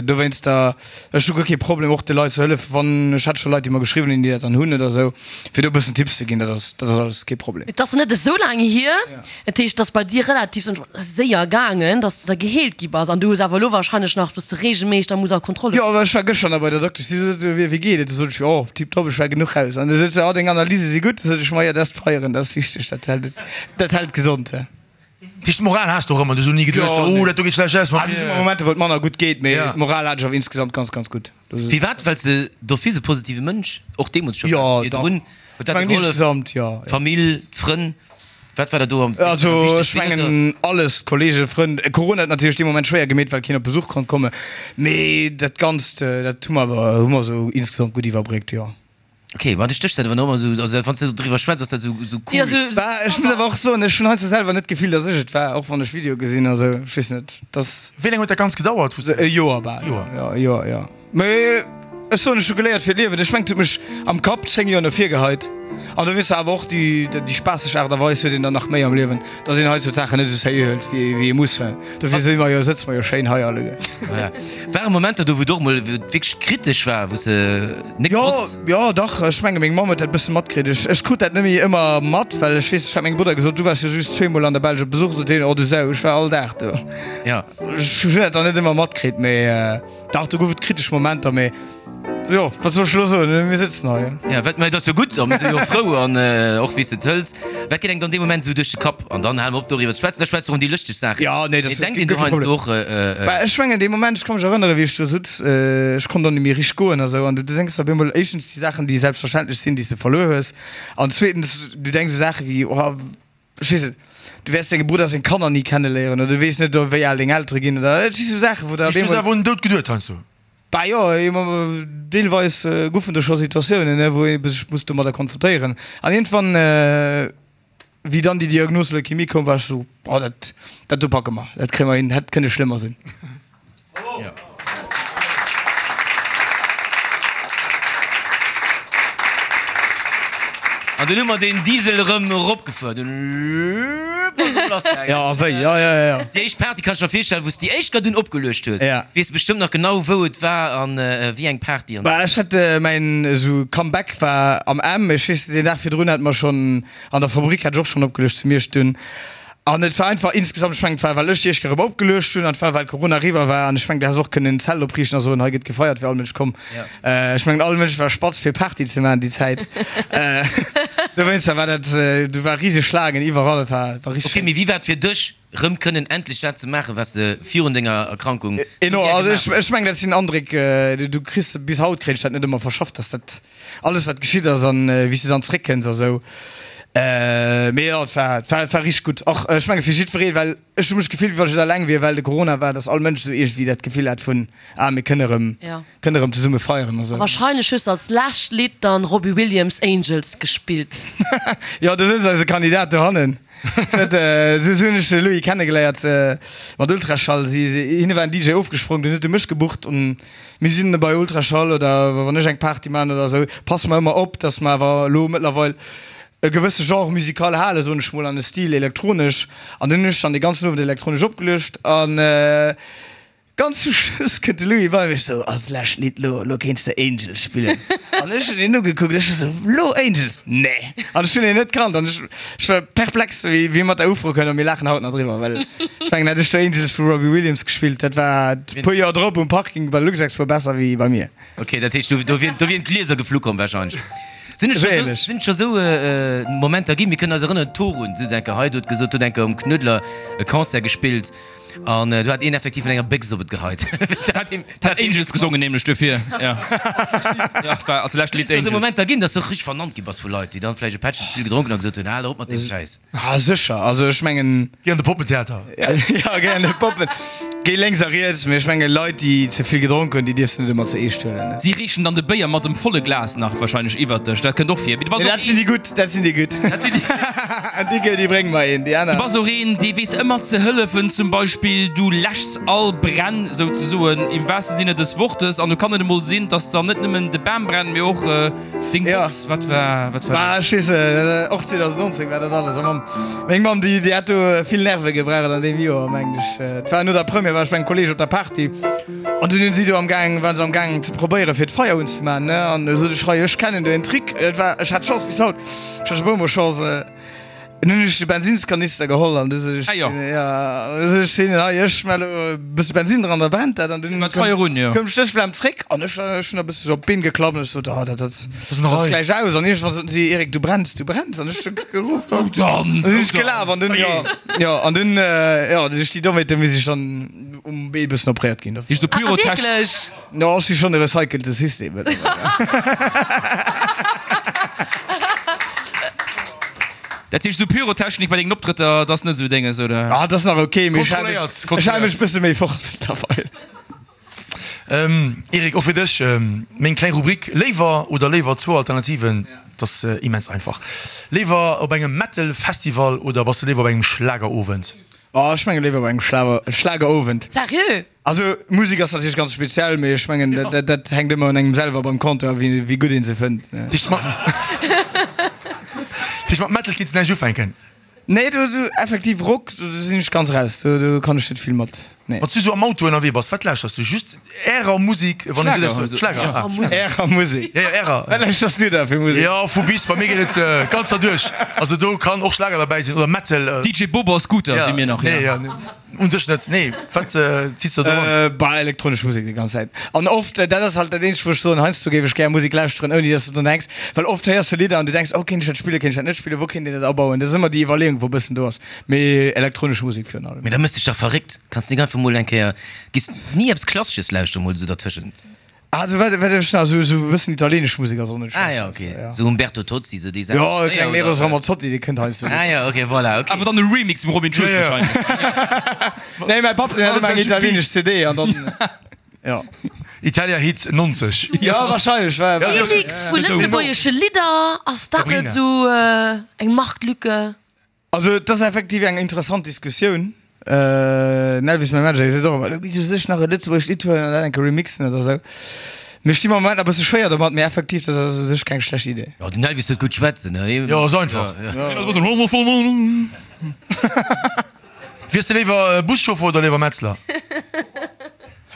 Dowéinster, ech hu guer kee Problem, och de Leit ze hëllefen, wann, ech hat scho Leit, déi mer geschriwwen hunn, déi dat dann hunn oder esou, fir do e bëssen Tipps ze ginn. Dat ass, dat ass alles kee Problem. Et ass net esou laang hier, dat heescht, et ass bei dir relativ séier gaangen, dass de da geheelt gi bass. An du hues awer elo wahrscheinlech nach, dass de reegelméisseg da muss a Kontrolle. Jo, ech war gëschter nach bei der Doktesch, si sot, wéi geet et? Du sot ech, jo, tiptop, ech war genuch raus. An du sot se, oh, deng Analyse si gutt. Du sot ech, ma jo, dat ass d'Feieren, dat ass wichteg, dat hält, dat hält gesond. Dat heescht, d'Moral has de och ëmmer, du hues elo ni geduet, sou, oh, dat do geet schlecht aus mat Ah, do si mir. ëmmer Momenter, wou et manner gutt geet, mee Ja. d'Moral hat ech awer insgesamt ganz, ganz gutt. Firwat? Well s de d'office e positive Mënsch och deemools scho Jo, waars, dach. virdrun? Huet dat Ech mengen der gehollef? insgesamt, jo, jo. D'Famill, d'Frënn, wat war der do am Also am ech wichtegsten? Wien huet der. mengen alles, Kollegen, Frënn. Corona huet natierlech dee Moment schwéier gemeet, well keen op Besuch konnt kommen, mee dat Ganzt, dat hu mer awer, hu mer esou insgesamt gutt iwwerbréckt, jo. Ok, ma du stéchs dat awer nach ëmmer esou, also wann s du driwwer schwätz, ass dat esou esou cool. Ja, sou, Bah, ech muss awer och soen, ech hunn heiansdo selwer net d'Gefill, datt ech et war, och wann ech Videoe gesinn a sou, ech weess net, dass. Wéi laang huet dat Ganzt gedauert, wou s E de. Joer bal. Joer. Jo, e Joer, jo. Mee ech soen, ech hu geléiert fir d'Liewen. Ech mengen, et huet mech am Kapp zéng Joer no vir geheit. An do weess de awer och, déi, déi spaasseg Aart a Weis huet een dann nach méi am Liewen, datt een heiansdo d'Saachen net esou sérieux hëlt, wéi, wéi ee muss. Dofir si mer jo, sëtze mer jo schéin hei alleguer. Ja. Ware Momenter do, wou et och mol wou et wierklech kritesch war, wou s de net Jo, gewosst. jo, dach, ech menge meng Mamm huet dat bësse matkritt. Ech, ech krut dat net méi ëmmer mat, well ech weess, ech hat mengem Brudder gesot, du waars jo just zweemol an der Belsch op Besuch, sot hien, oh du Sau, ech war all Dag do. Ja. Ech hunn dat dann net ëmmer matkritt, mee dach, do gouf et kritesch Momenter, mee jo, wat soll ech elo soen, mir sëtzen hei. Ja, wat, mä et ass jo gutt a mir si jo frou an och wéi s de et hëls. Wat geet engem dann dee Moment esou duerch de Kapp? An dann hale mer op doriwwer ze schwätzen, da schwätze mer ëm déi lëschteg Saachen. Ja, nee, dat Mee ass denkt een do guer kee heiansdo Problem. och, äh, Bah, ech mengen dee Moment, ech ka mech erënneren, wéi ech do sutz, ech konnt och net méi richteg goen a sou, an du denks op eemol éischtens déi Saachen, déi selbstverständlech sinn, déi s de verluer hues, an zweetens, du denks u Saache wéi, oh, ech weess net, du wäers denge Brudder seng Kanner ni kenneléieren oder du weess net, wéi al deng Eltere ginn oder et si sou Saachen, wou der op Heescht, du hues eemol. awer un den Doud geduet heiansdo? Bah jo, deelweis goufen do scho Situatiounen, ne, wou ee sech muss domadder konfrontéieren. An iergendwann, wéi dann déi Diagnos Leukemie koum, war ech sou, oh, dat, dat do packe mer, dat kréie mer hin, hätt kënne schlëmmer sinn. An dunn hu mer den Diesel erëm eropgefuer. Dunn ass et lass gaangen. Ja, a wéi, ja, ja, ja. Déi éischt Party kann ech mer virstellen, wou s de déi éischt Kéier dunn opgeluecht hues. Ja. Weess bestëmmt nach genau, wou et war an wéi eng Party an. Bah, ech hat mäin esou Comeback war am M. Ech weess, deen Dag virdrun hat mer schonn an der Fabrik hat ech och schonn opgeluecht zu Miersch dunn. An et war einfach insgesamt, ech mengen, et war well ech déi éischt Kéier erëm opgeluecht hunn an et war well Corona eriwwer war an ech mengen, du häss och kënnen en Zelt opriichten a soen, hei gëtt gefeiert, wär all Mënsch komm. Ech mengen, all Mënsch war spatz fir Party ze maachen déi Zäit. Dowéinster war dat, do war riseg Schlaangen iwwerall, et war, war richteg Ok, schéin. mee wéi war et fir dech, rëm kënnen endlech dat ze maachen, wat s de virun denger Erkrankung sou Enorm, gär also gemaach ech, hues? ech mengen, dat sinn Andréck, du kriss, bis haut kréien ech dat net ëmmer verschafft, dass dat alles wat geschitt ass an wéi s de dann zréckkënns a sou. Mee jo, et war, et war, et war richteg gutt. Och ech menge fir jiddwereen, well ech hu mech gefillt, wéi wann ech net alleng wier, well de Corona war, dass all Mënsch esou iergendwéi dat Gefill hat vun, ah mir kënne erëm, Ja. kënne erëm zesumme feieren a sou. Wahrscheinlech hues de als lescht Lidd dann Robbie Williams Angels gespillt. Jo, do sëtzt eise Kandidat dohannen. Dat, esou hunn ech de Louis kennegeléiert mat Ultraschall. Si, si, hinne war en D J ofgesprong, dunn huet e mech gebucht an mir sinn bei Ultraschall oder wann ech eng Party maachen oder esou, passe mer ëmmer op, dass mer awer elo mëttlerweil e gewësse Genre musical halen, soen ech mol, an e Stil elektronesch. An dunn hunn ech dann dee ganzen Owend elektronesch opgeluecht an ganz zum Schluss kënnt de Louis bei mech sou, Als lescht Lidd, lo, lo kéints de Angels spillen. An ech hunn hien ugekuckt, ech war sou, Lo Angels? Nee! An ech hunn hien net kannt an ech, ech war perplex, wéi, wéi e mat der Ufro kënnt a mir laachen haut nach driwwer, well ech mengen, hätt ech do Angels vu Robbie Williams gespillt, dat war e puer Joer drop um Parking bei Luxexpo besser wéi bei mir. Ok, dat heescht, do, do wieren, do wieren d'Glieser geflu komm wahrscheinlech. Sinn et scho sou, Wéineg. sinn et scho sou Momenter ginn? Mir kënnen eis erënneren, Torun sou enker hei, do huet gesot, do huet enker um Knuedler e Concert gespillt an do hat een effektiv mat enger Béchs op et geheit. Dat hat Angels gesongen nämlech duerfir. Ja. Ja, et war als lescht Lidd Sinn et scho sou Angels. Momenter ginn, dass du richteg vernannt gi bass vu Leit, déi dann vläicht e Pättchen ze vill gedronken hunn a gesot hunn, hal op mat deem Schäiss? Ah, sécher. Also ech mengen. Geh an de Poppentheater. Ja, geh an de Poppen. Géi lénks a riets, mee ech menge Leit, déi ze vill gedronk hunn, déi dierfs de net ëmmer ze eescht huelen. Si reechen dann de Béier mat dem volle Glas nach wahrscheinlech iwwert dech, dat kënnt och vir. Mee du bass Nee, och dat sinn een, déi gutt, dat sinn déi gutt. dat sinn déi. Déi gö, déi brénge mer een, déi aner. Du bass och een, dee weess ëmmer ze hëllefen, zum Beispill du läschs all Bränn souzesoen, im wahrsten Sinne des Wortes, an do kann et emol sinn, dass dann net nëmmen de Bam brennt, mee och deng Ja. Box. Wat war, wat war Bah, dat? ech weess net, och zweedausendnonzéng war dat alles. A Mamm, meng Mamm, déi, déi hat do vill Nerve gebraucht an deem Joer, mengen ech. Et war no der Première, war ech bei engem Kolleeg op der Party an dunn hunn si do am gaang, waren se am gaang ze probéieren, fir d'Feier unzemaachen, ne? An du sot ech, hei, ech kennen do en Trick. Et war, ech hat Chance bis haut, ech hat scho e puer mol Chance. Dann hunn ech de Bensinnskanister geholl an du sot ech, Ah jo. ja, du sot ech hinnen, hei, ech schmelle e bësse Bensinn dran, da brennt dat. An dunn War d'Feier un, jo. koum d'Stéchflam zréck an ech, ech hunn e bësse sou op d'Been geklappt an ech sot, ah, dat, dat ass nach ass hei. gläich aus. An iergendwann soten si, Eric, du brenns, du brenns. An ech hu geruff. Wou dann? Dann sinn ech Wou dann? gelaf an dunn, jo, jo, an dunn, jo, duerch déi Dommheet, du misst ech dann um Bee e bëssen opréiert ginn. Heescht sou Ah, Pyrotechnik. wierklech? Jo, ech si schonn e recycelte System mëttlerweil. Dat heescht, esou Pyrotechnik bei dengen Optrëtter, dat ass net esou denges, oder? Ah, dat ass nach ok, mee ech hale Kontrolléiert, mech, ech hale mech kontrolléiert. bësse méi fort mëttlerweil. Ähm, Eric, och fir dech meng kleng Rubrik Léiwer oder léiwer, zwou Alternativen, dat ass immens einfach. Léiwer op engem Metal Festival oder bass de léiwer op engem Schlagerowend? Oh, ech menge léiwer op engem Schlager, Schlagerowend. Seriö? Also Musek ass natierlech ganz speziell, mee ech mengen dat, dat, dat hänkt ëmmer un engem selwer beim Compteur, wéi, wéi gutt een se fënnt. Dat heescht mat, dat heescht mat Metal kinns de näischt ufänken? Nee, do, do, effektiv Rock, do, do sinn ech ganz raus, do, do kann ech net vill mat, nee. Wann s du sou am Auto ënnerwee bass, wat lauschters du? Just ärer Musek, wann een Schlager, sou also. Schlager, ah. Ärer Musek? Ja, ja, ärer. Wat lauschters du da fir Musek? Jo, vu bis, bei mir geet et ganz derduerch. Also do kann och Schlager derbäi sinn oder Metal. D J Bobo a Scooter si mir nach, Nee, ja. ja, nee. Un sech net, nee. Wat ziss de do an? Bah, elektronesch Musek déi ganz Zäit. An oft, dat ass halt dat eenzegt, wou ech soen, heiansdo géif ech gär Musek lauschteren, ouni dass de drun denks. Well oft héiers de Lidder an du denks, oh, kéint ech dat spillen, kéint ech dat net spillen, wou kéint een dat abauen? Dat ass ëmmer déi Iwwerleeung, wou e bëssen do ass. Mee elektronesch Musek virun allem. Mee da mëss dech dach verréckt. Kanns nik einfach mol eng Kéier, giss ni eppes Klassesches lauschteren mol esou dertëschent? Also wat wat ech nach esou esou e bëssen italienesch Musek ass och net Ah schlecht, ja, weess de, okay. ja. Sou Umberto Tozzi, sou déi Saachen. Jo, e klengen Eros Ramazzotti, dee kënnt heiansdo Ah ja, okay, voilà, okay. Awer dann e Remix vum Robin Schulz Ja, ja. wahrscheinlech. Nee, mäi Papp, deen hat ëmmer eng italienesch C D an dann, ja. Italia Hits nonzeg. Ja, wahrscheinlech, war, war. Remix vu lëtzebuergesche Lidder, ass dat net Sabrina. sou eng Marktlücke? Also et ass effektiv eng interessant Diskussioun. Den Elvis, mäi Manager, dee seet och ëmmer, du misst u sech nach e lëtzebuergescht Lidd huelen an dat eng Kéier remixen oder esou. Mir sti mer am Moment nach e bësse schwéier domat, mee effektiv, dat ass u sech keng schlecht Idee. Jo, den Elvis huet gutt schwätzen, ne? Jo, ass einfach. Wiers de léiwer Buschauffer oder léiwer Metzler?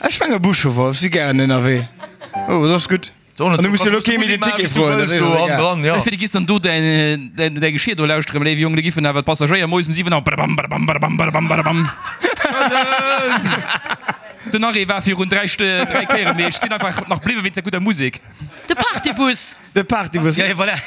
Ech menge Buschauffer, ech si gären ënnerwee. Oh, dat ass gutt. An du muss jo elo kee méi den Ticket froen, dat ass jo egal. Ech fir, du giss dann do däin däi Geschir do lauschteren, léiwe Jong, do giffen awer d'Passagéier moies um siwen Auer badabam, badabam, badabam, badabam, badabam. Den Arrêt war virun dräi St dräi Kéieren, mee ech sinn einfach nach bliwwe wéinst der gudder Musek. De Partybus! De Partybus. Ja, voilà,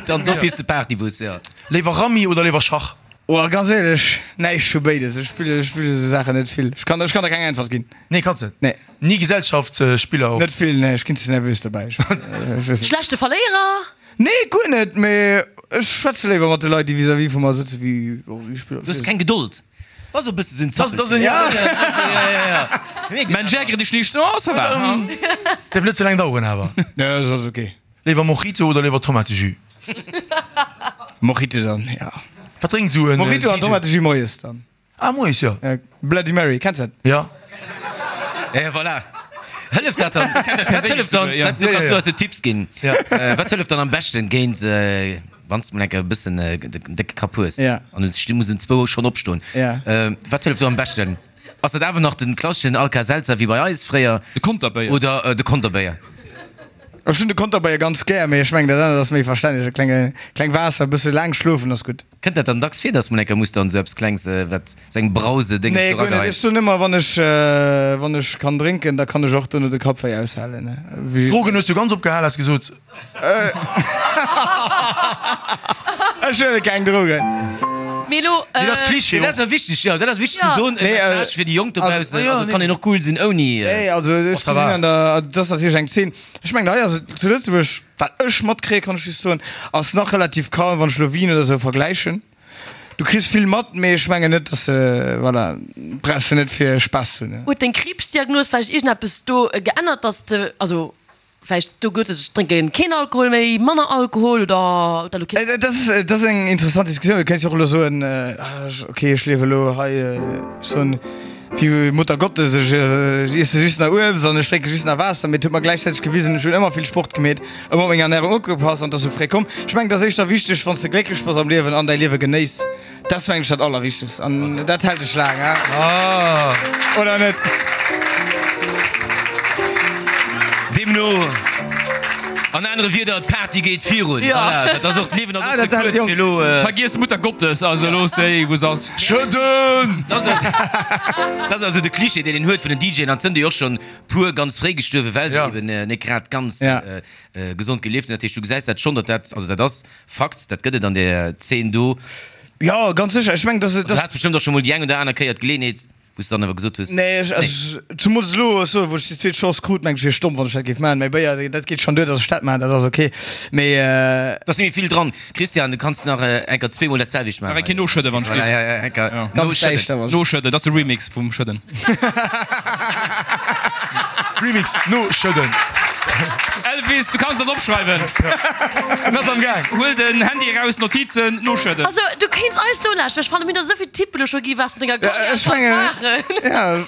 dann do fiers de Partybus, jo. Léiwer Rammi oder léiwer Schach? Oh, ganz éierlech, näischt vu béides. Ech spille, ech spille sou Saachen net vill. Ech kann, ech kann der keng Äntwert ginn. Nee, kanns net? Nee. Ni Gesellschaftsspiller och? Net vill, nee. Ech ginn ze nervös dobäi. Ech, ech weess net. Schlechte Verléierer? Nee, guer net, mee ech schwätze léiwer mat de Leit, déi vis-à-vis vu mer sëtzen, wéi, oh, ech spille. Du hues keng Gedold. Bass e bësse sou en Das, das en, Ja. Ja, ja. Mein Jäger dich nicht, oh, ça va. Dierf net ze laang daueren awer. Nee, ass alles ok. Léiwer Mojito oder léiwer Tomatejus? Mojito dann, ja. Wat drénkt sou en Mojito an D J? Tomatejus moies dann. Ah, moies, jo. Ja, Bloody Mary, kenns dat? Ja. Ja, ja, voilà. Hëlleft dat dann? Wat hëlleft dann? Ja. Dat, du kanns du eis jo Tipps ginn. Ja. Wat hëlleft dann am beschten géint, wann s de mol eng Kéier e bëssen den décke Kapp hues Ja. an du muss um zwou schonn opstoen? Ja. Wat hëlleft do am beschten? Ass dat awer nach den klasseschen Alka-Seltzer wéi bei eis fréier? De Konterbéier. Oder de Konterbéier? Ech hunn de Konterbéier ganz gär, mee ech mengen dat anert ass méi verstänneg. E klenge, kleng Waasser, e bësse laang schlofen ass gutt. Kënnt dat dann dacks vir, dass mol eng Kéier muss dann esou eppes Klengs, wat sou eng Brause Dénges Nee, do guer net. erageheit? Ech soen ëmmer, wann ech, wann ech kann drénken, da kann ech och dono de Kappwéi aushalen. Wéi. Drogen hues du ganz opgehal, has gesot. Ech huele keng Drogen. Mee elo. Nee, dat ass Klischee. Dat ass awer wichteg, jo, dat ass wichteg ze soen, e Message fir déi Jonk dobaussen. Also, et kann een och cool sinn ouni. Nee, also ech ça va. gesinn an der, dat ass natierlech eng Zeen. Ech mengen hei ass et zu Lëtzebuerg, wat ech matkréien, kann ech just soen, ass nach relativ calm, wann ech elo Wien oder esou vergläichen. Du kriss vill mat, mee ech mengen net, dass se, voilà, brauchs de net fir Spaass ze hunn. Huet deng Kriibsdiagnos vläicht iergendeppes do geännert, dass de, also vläicht do gëtt es, ech drénke keen Alkohol méi, manner Alkohol oder huet dat elo keen. Dat ass, dat ass eng interessant Diskussioun. Du kéints jo och elo soen, ok, ech liewe elo hei, ech soen, wéi Mutter Gottes, ech iesse just nach Uebst an ech drénke just nach Waasser. Mee et huet mer gläichzäiteg gewisen, ech hunn ëmmer vill Sport gemeet, ëmmer op meng Ernärung opgepasst an et ass sou fréi komm. Ech mengen, et ass éischter wichteg, wann s de glécklech bass am Liewen an däi Liewe genéiss. Dat ass, mengen ech, dat Allerwichtegst an dat hält dech laang, hein? Oder net? Deemno, An anere Wierder, d'Party geet virun. Voilà, dat ass och, d'Liewen ass och ze kuerz fir elo. Vergiess d'Mutter Gottes, also looss déi wou se ass. Schëdden! Dat ass also de Cliché, deen een huet vun den DJen, an et sënn déi och schonn puer ganz fréi gestuerwen, well se eben net grad ganz gesond gelieft hunn. Dat heescht, du gesäis dat schonn, datt dat, also dat ass Fakt, dat gëtt et an där Zeen do. Jo, ganz sécher. Ech mengen, datt. Du has bestëmmt och scho mol déi eng oder aner Kéier d'Geleeënheet, wou s de dann awer gesot hues, Nee, ech, also, zumools elo, ech soen, wou ech déi zweet Chance krut, mengen ech, wier stomm, wann ech dat géif maachen. Mä Béier, dat geet schonn duer, datt ech dat maachen, dat ass ok. Mee. Et ass net méi vill dran. Christian, du kanns nach eng Kéier zweemol dat selwecht maachen. Nach eng Kéier noschëdden, wann ech dierft. Ja, ja, eng Kéier Ganz noschëdden. däischter, wann. Noschëdden, dat ass de Remix vum Schëdden. Remix, noschëdden. Elvis, du kanns dat opschreiwen. En ass am Gaang. Huel den Handy eraus, Notizen, noschëdden. Also du kéints eis nolauschteren, ech fannen mir hunn der esouvill Tippen elo scho gi wat s de mat denger Karriär Ech kanns mengen, maachen. ja.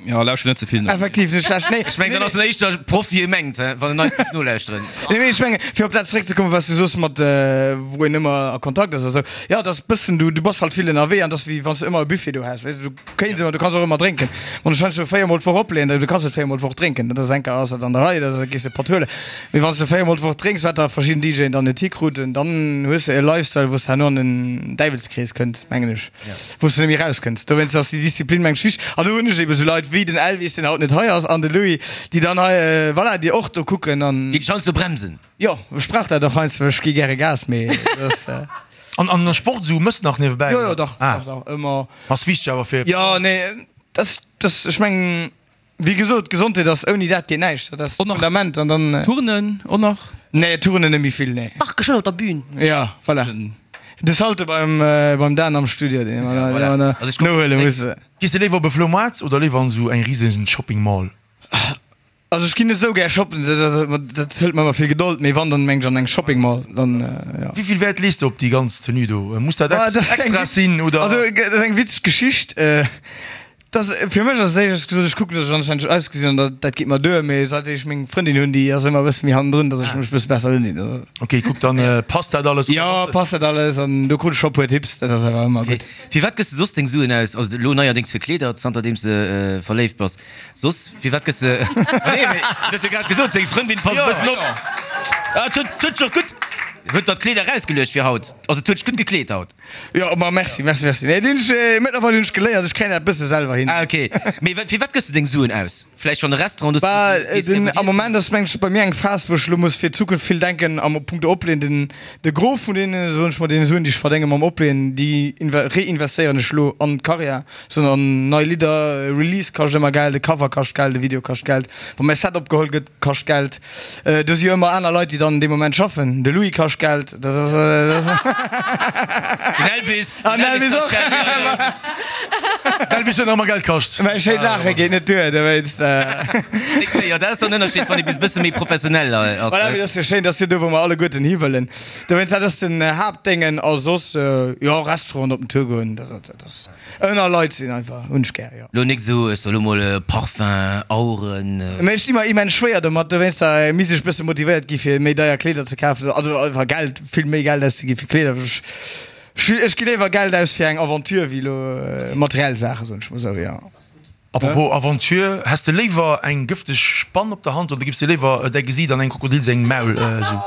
Jo, lauschter net ze vill no. Effektiv, net schlecht. Nee, Ech mengen, dann ass en éischter Proff wéi e mengt, he, wann en eis géif nolauschteren. Nee, mee ech mengen, fir op dat zeréckzekommen, wat s du soos mat wou een ëmmer a Kontakt ass a sou, jo, dat ass bëssen, du, du bass halt vill ënnerwee an dat ass wéi wann s de ëmmer e Buffet do häss, weess de, du kéints ëmmer, du kanns och ëmmer drénken. Wann ech heiansdo véier mol d'Woch opleeën, du kanns net véier mol d'Woch drénken, dat ass eng Kéier ass dat an der Rei, da gees de e Patt huelen. Mee wann s de véier mol d'Woch drénks, wat der verschidden DJen dann net hikruten, dann hues de e Lifestyle, wou s de herno an den Däiwelskrees kënns, mengen ech, wou s de net méi rauskënns. Dowéinst ass déi Disziplin, mengen ech, wichteg. An do hunn ech ebe sou Leit wéi den Elvis, deen haut net hei ass, an de Louis, déi dann hei, voilà, déi och do kucken an. Déi dech heiansdo bremsen. Jo, ech brauch dat och heiansdo, ech gi gäre Gas, mee dat ass. An an Sport esou mëss nach niewebäi? Jo, jo, dach, dach, dach, ëmmer. Ass wichteg awer fir. Jo, nee, dat, dat, ech mengen. Wéi gesot, Gesondheet ass, ouni dat geet näischt, dat ass d'Fundament an dann. Turnen och nach? Nee, Turnen net méi vill, nee. Dach, geschwënn op der Bühn. Ja, voilà. De Salto beim, beim Dan am Studio, dee mer, dee mer nohuele musse. Gees de léiwer op e Floumaart oder léiwer an esou eng risegen Shopping Mall? Also ech ginn net esou gär shoppen, dat hëlt mer ëmmer vill Gedold, mee wann, dann mengen ech an eng Shopping Mall, dann jo. Wéi vill Wäert lees de op déi ganz Tenue do? Muss dat extra sinn oder? Also dat ass eng witzeg Geschicht. Dass, fir mech ass et éischters gesot, ech kucken, dass ech anstänneg ausgesinn an dat, dat geet mer duer. Mee säit ech meng Frëndin hunn, déi ass ëmmer e bësse méi hannendrun, dass ech mech e bësse besser undinn. Ok, kuck, dann passt dat alles. Jo, passt dat alles an do krut ech scho e puer Tipps, dat ass awer ëmmer gutt. Fir wat gëss de soss deng Suen aus? Also elo neierdéngs fir Kleeder, zanter deems de verléift bass. Soss, fir wat gëss de, ah nee, mee en huet jo grad gesot, seng Frëndin passt e bëssen op. Ah, et huet, et huet sech och gutt, huet der d'Kleeder erausgeluecht fir haut, also et huet sech gutt gekleet haut. Jo, ma merci, merci, merci. Nee, deen ech, mëttlerweil hunn ech geléiert, ech kréien dat bësse selwer hin. Ah, ok. Mee wat, fir wat gëss de deng Suen aus? Vläicht wann e Restaurant, do Bah, gees gär den, gutt am iessen? Moment ass mengen ech bei mir eng Phas, wou ech elo muss fir d'Zukunft vill denken am Punkto Opleeën. Den, de Gros vun deene, soen ech mol, deene Suen, déi ech verdénge mam Opleeën, déi inve, reinvestéieren ech elo an d'Karriär, soen an nei Lidder. Release kascht ëmmer Geld, e Cover kascht Geld, e Video kascht Geld, wa mäi Set opgeholl gëtt, kascht Geld. Do si jo ëmmer aner Leit, déi dann dee Moment schaffen. De Louis kascht Geld. Dat ass. Den Elvis. An den Elvis och. Den Elvis huet nach ëmmer Geld kascht. Mäi schéint Laache geet net duer, dowéinst. Jo, dat ass dann den Ënnerscheed, wann ee bis e bësse méi professionell ass. Voilà, mee dat ass jo schéin, dat ass jo do, wou mer alleguerten hiwëllen. Dowéinst, dat ass den Haaptdéngen. A soss, jo, Restaurant op den Tour goen, dat ass. Ënner Leit sinn einfach, hunn ech gär, jo. Lo nik sou, ech soe lo mol Parfum, Aueren. Mee ech di mer immens schwéier domat, dowéinster misst ech bësse motivéiert gi fir méi deier Kleeder ze kafen, also einfach Geld, vill méi Geld auszegi fir Kleeder. Ech ech gi léiwer Geld aus fir eng Aventure wéi lo materiell Saachen, soen ech mol sou, jo. Apropos Aventure, häss de léiwer eng gëfteg Spann op der Hand oder giffs de léiwer däi Gesiit an engem Krokodil sengem Maul sou?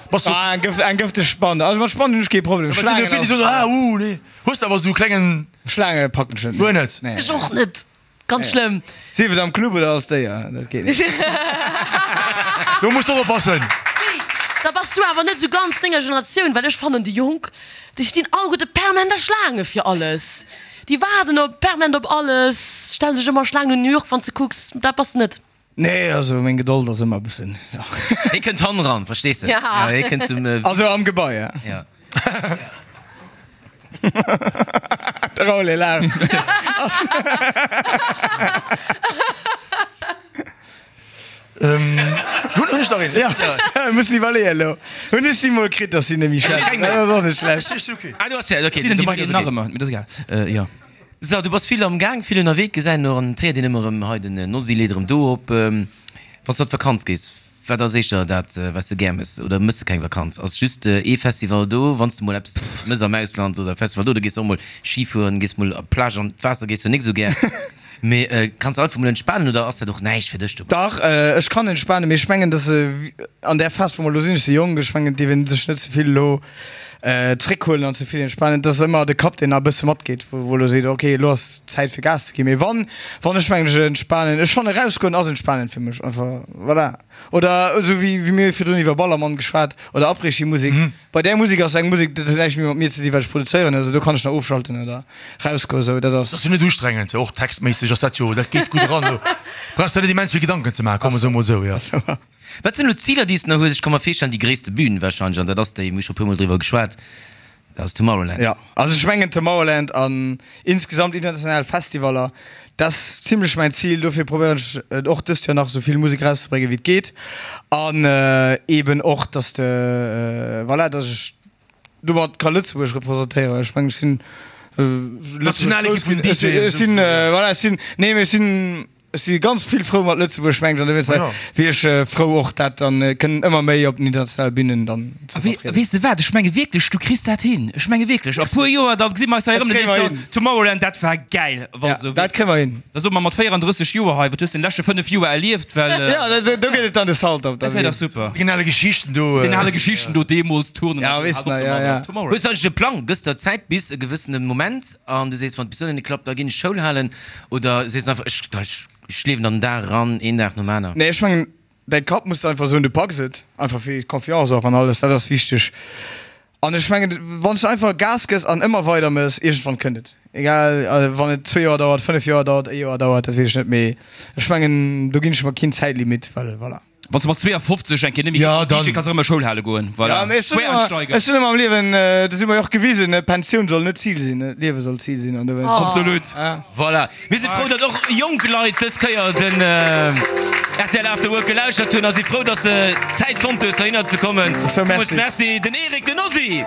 Bass du. Ah, eng gëfteg Spann, also mat Spannen hunn ech kee Problem, Schlaangen ass. Ah, uh, nee. Hues de awer sou klengen. Schlaange packen ech net. Guer net? Nee. Ech och net, ganz schlëmm. Sief et am Club oder als Déier, dat geet net. Do muss de och oppassen. Da bass du awer net sou ganz denger Generatioun, well ech fannen déi Jonk, déi stinn alleguerte permanent a Schlaange fir alles. Déi waarden op permanent op alles, stellen sech ëmmer Schlaangen un New York wann s de kucks, dat bass de net. Nee, also meng Gedold ass ëmmer e bëssen, jo. Hie kënnt hannen ran, verstees de? Ja. Hie kënnt zum. Also am Gebai, ja. Ja. De Raoul, hie laacht. Hunn ech nach een? Ja, muss iwwerleeën elo. Hunn ech si mol kritt, dass si net méi schwätzen. Dat ass och net schlecht. Ah, du has ja, okay. Sinn déi beiden nach ëmmer, mee dat ass egal. Jo. So, du bass vill am Gaang, vill ënnerwee, gesäin och an d'Héiert een ëmmer erëm hei den Nosy leet erëm do op. Wann s du an d'Vakanz gees, wat ass éischter dat, wat s du gär mëss? Oder mëss de keng Vakanz? Ass just ee Festival do, wann s du mol eppes mëss am Ausland oder Festival do, du gees och mol Ski fueren, gees mol op d'Plage an d'Waasser gees du nik esou gär. Mee kanns de einfach mol entspanen oder ass dat och näischt fir dech dobäi? Dach, ech kann entspanen, mee ech mengen, dass an där Phas, wou mer elo sinn, ech si jonk, ech mengen, et dierf ee sech net ze vill elo zréckhuelen an ze vill entspanen. Et ass ëmmer de Kapp, deen nach e bësse matgeet, wou elo seet, ok, elo ass Zäit fir Gas ze ginn. Mee wann, wann ech mengen, ech entspanen, ech fannen erausgoen ass entspanend fir mech einfach, voilà. Oder esou wéi wéi mir virdrun iwwer Ballermann geschwat oder Après-Ski-Musek. Bei där Musek ass eng Musek, dat huet näischt méi mat mir ze dinn, wat ech produzéieren, also do kann ech nach ofschalten oder rausgoen, esou dat ass. Dat ass jo net ustrengend, och textméisseg ass dat jo, dat geet gutt eran, do brauchs de net immens vill Gedanken ze maachen, komm esou mol esou, jo. Wat sinn elo d'Ziler, déi s de nach hues? Ech ka mer virstellen, déi gréisste Bühn warscheinlech, an dat ass déi, mir hu scho e puermol driwwer geschwat, dat ass Tomorrowland. Jo, also ech mengen Tomorrowland an insgesamt international Festivaller, dat ass zimlech mäin Zil. Dofir probéieren ech et och dëst Joer nach esou vill Musek erauszebréngen, wéi et geet. An eeben och, dass de, voilà, dass ech domat ka Lëtzebuerg representéieren. Ech mengen, ech sinn Lëtzebuerg grouss ginn. Ech sinn, voilà, ech sinn, nee, mee ech sinn. Ech si ganz vill frou mat Lëtzebuerg, mengen ech, an dowéinst wier ech frou och dat dann kënnen ëmmer méi op den internationale Bünen dann ze vertrieden. Weess de wat, ech menge wierklech, du kriss dat hin. Ech menge wierklech, a puer Joer, da gesi mer eis hei erëm, da sees de, Tomorrowland, dat war gäil. Wa sou Dat kréie mer hin. Da soe mer mat véierandrësseg Joer hei, wat hues de den leschte fënnef Joer erlieft, well. Jo, do gëtt et dann de Salt op. Dat wär dach super. Den ale Geschichten do. Den ale Geschichten do, deemools, Turnen. Ja, weess de, ja, ja. Tomorrowland. Hues de eigentlech e Plang? Gëss der Zäit bis e gewëssene Moment an du sees, wann et bis dohinner net klappt, da ginn ech Schoul halen? Oder sees de einfach, ech, ech liewen an den Dag eran, een Dag nom aner? Nee, ech mengen, däi Kapp muss einfach soen, du packs et. Einfach fir d'Confiance och an alles, dat ass wichteg. An ech mengen, wann s du einfach Gas gëss an ëmmer weider mëss, iergendwann kënnt et. Egal, wann et zwee Joer dauert, fënnef Joer dauert, e Joer dauert, dat weess ech net, mee ech mengen, do ginn ech mer keen Zäitlimit, well voilà. Wann s de mat zweeafofzeg eng Kéier net méi Ja, DJ dann. kanns erëm a Schoul hale goen. Voilà. Ja, mee ech soen ëmmer, Quereinsteiger. ech soen ëmmer am Liewen, dat hu mer jo och gewisen, Pensioun soll net Zil sinn, d'Liewe soll Zil sinn an dowéinst. Absolut. Voilà. Mir si frou, datt och jonk Leit dës Kéier den rtl After Work gelauschtert hunn a si frou, datt se Zäit fonnt hues, heihinner ze kommen. So, Villmools merci. Merci, den Eric, den Ozzy.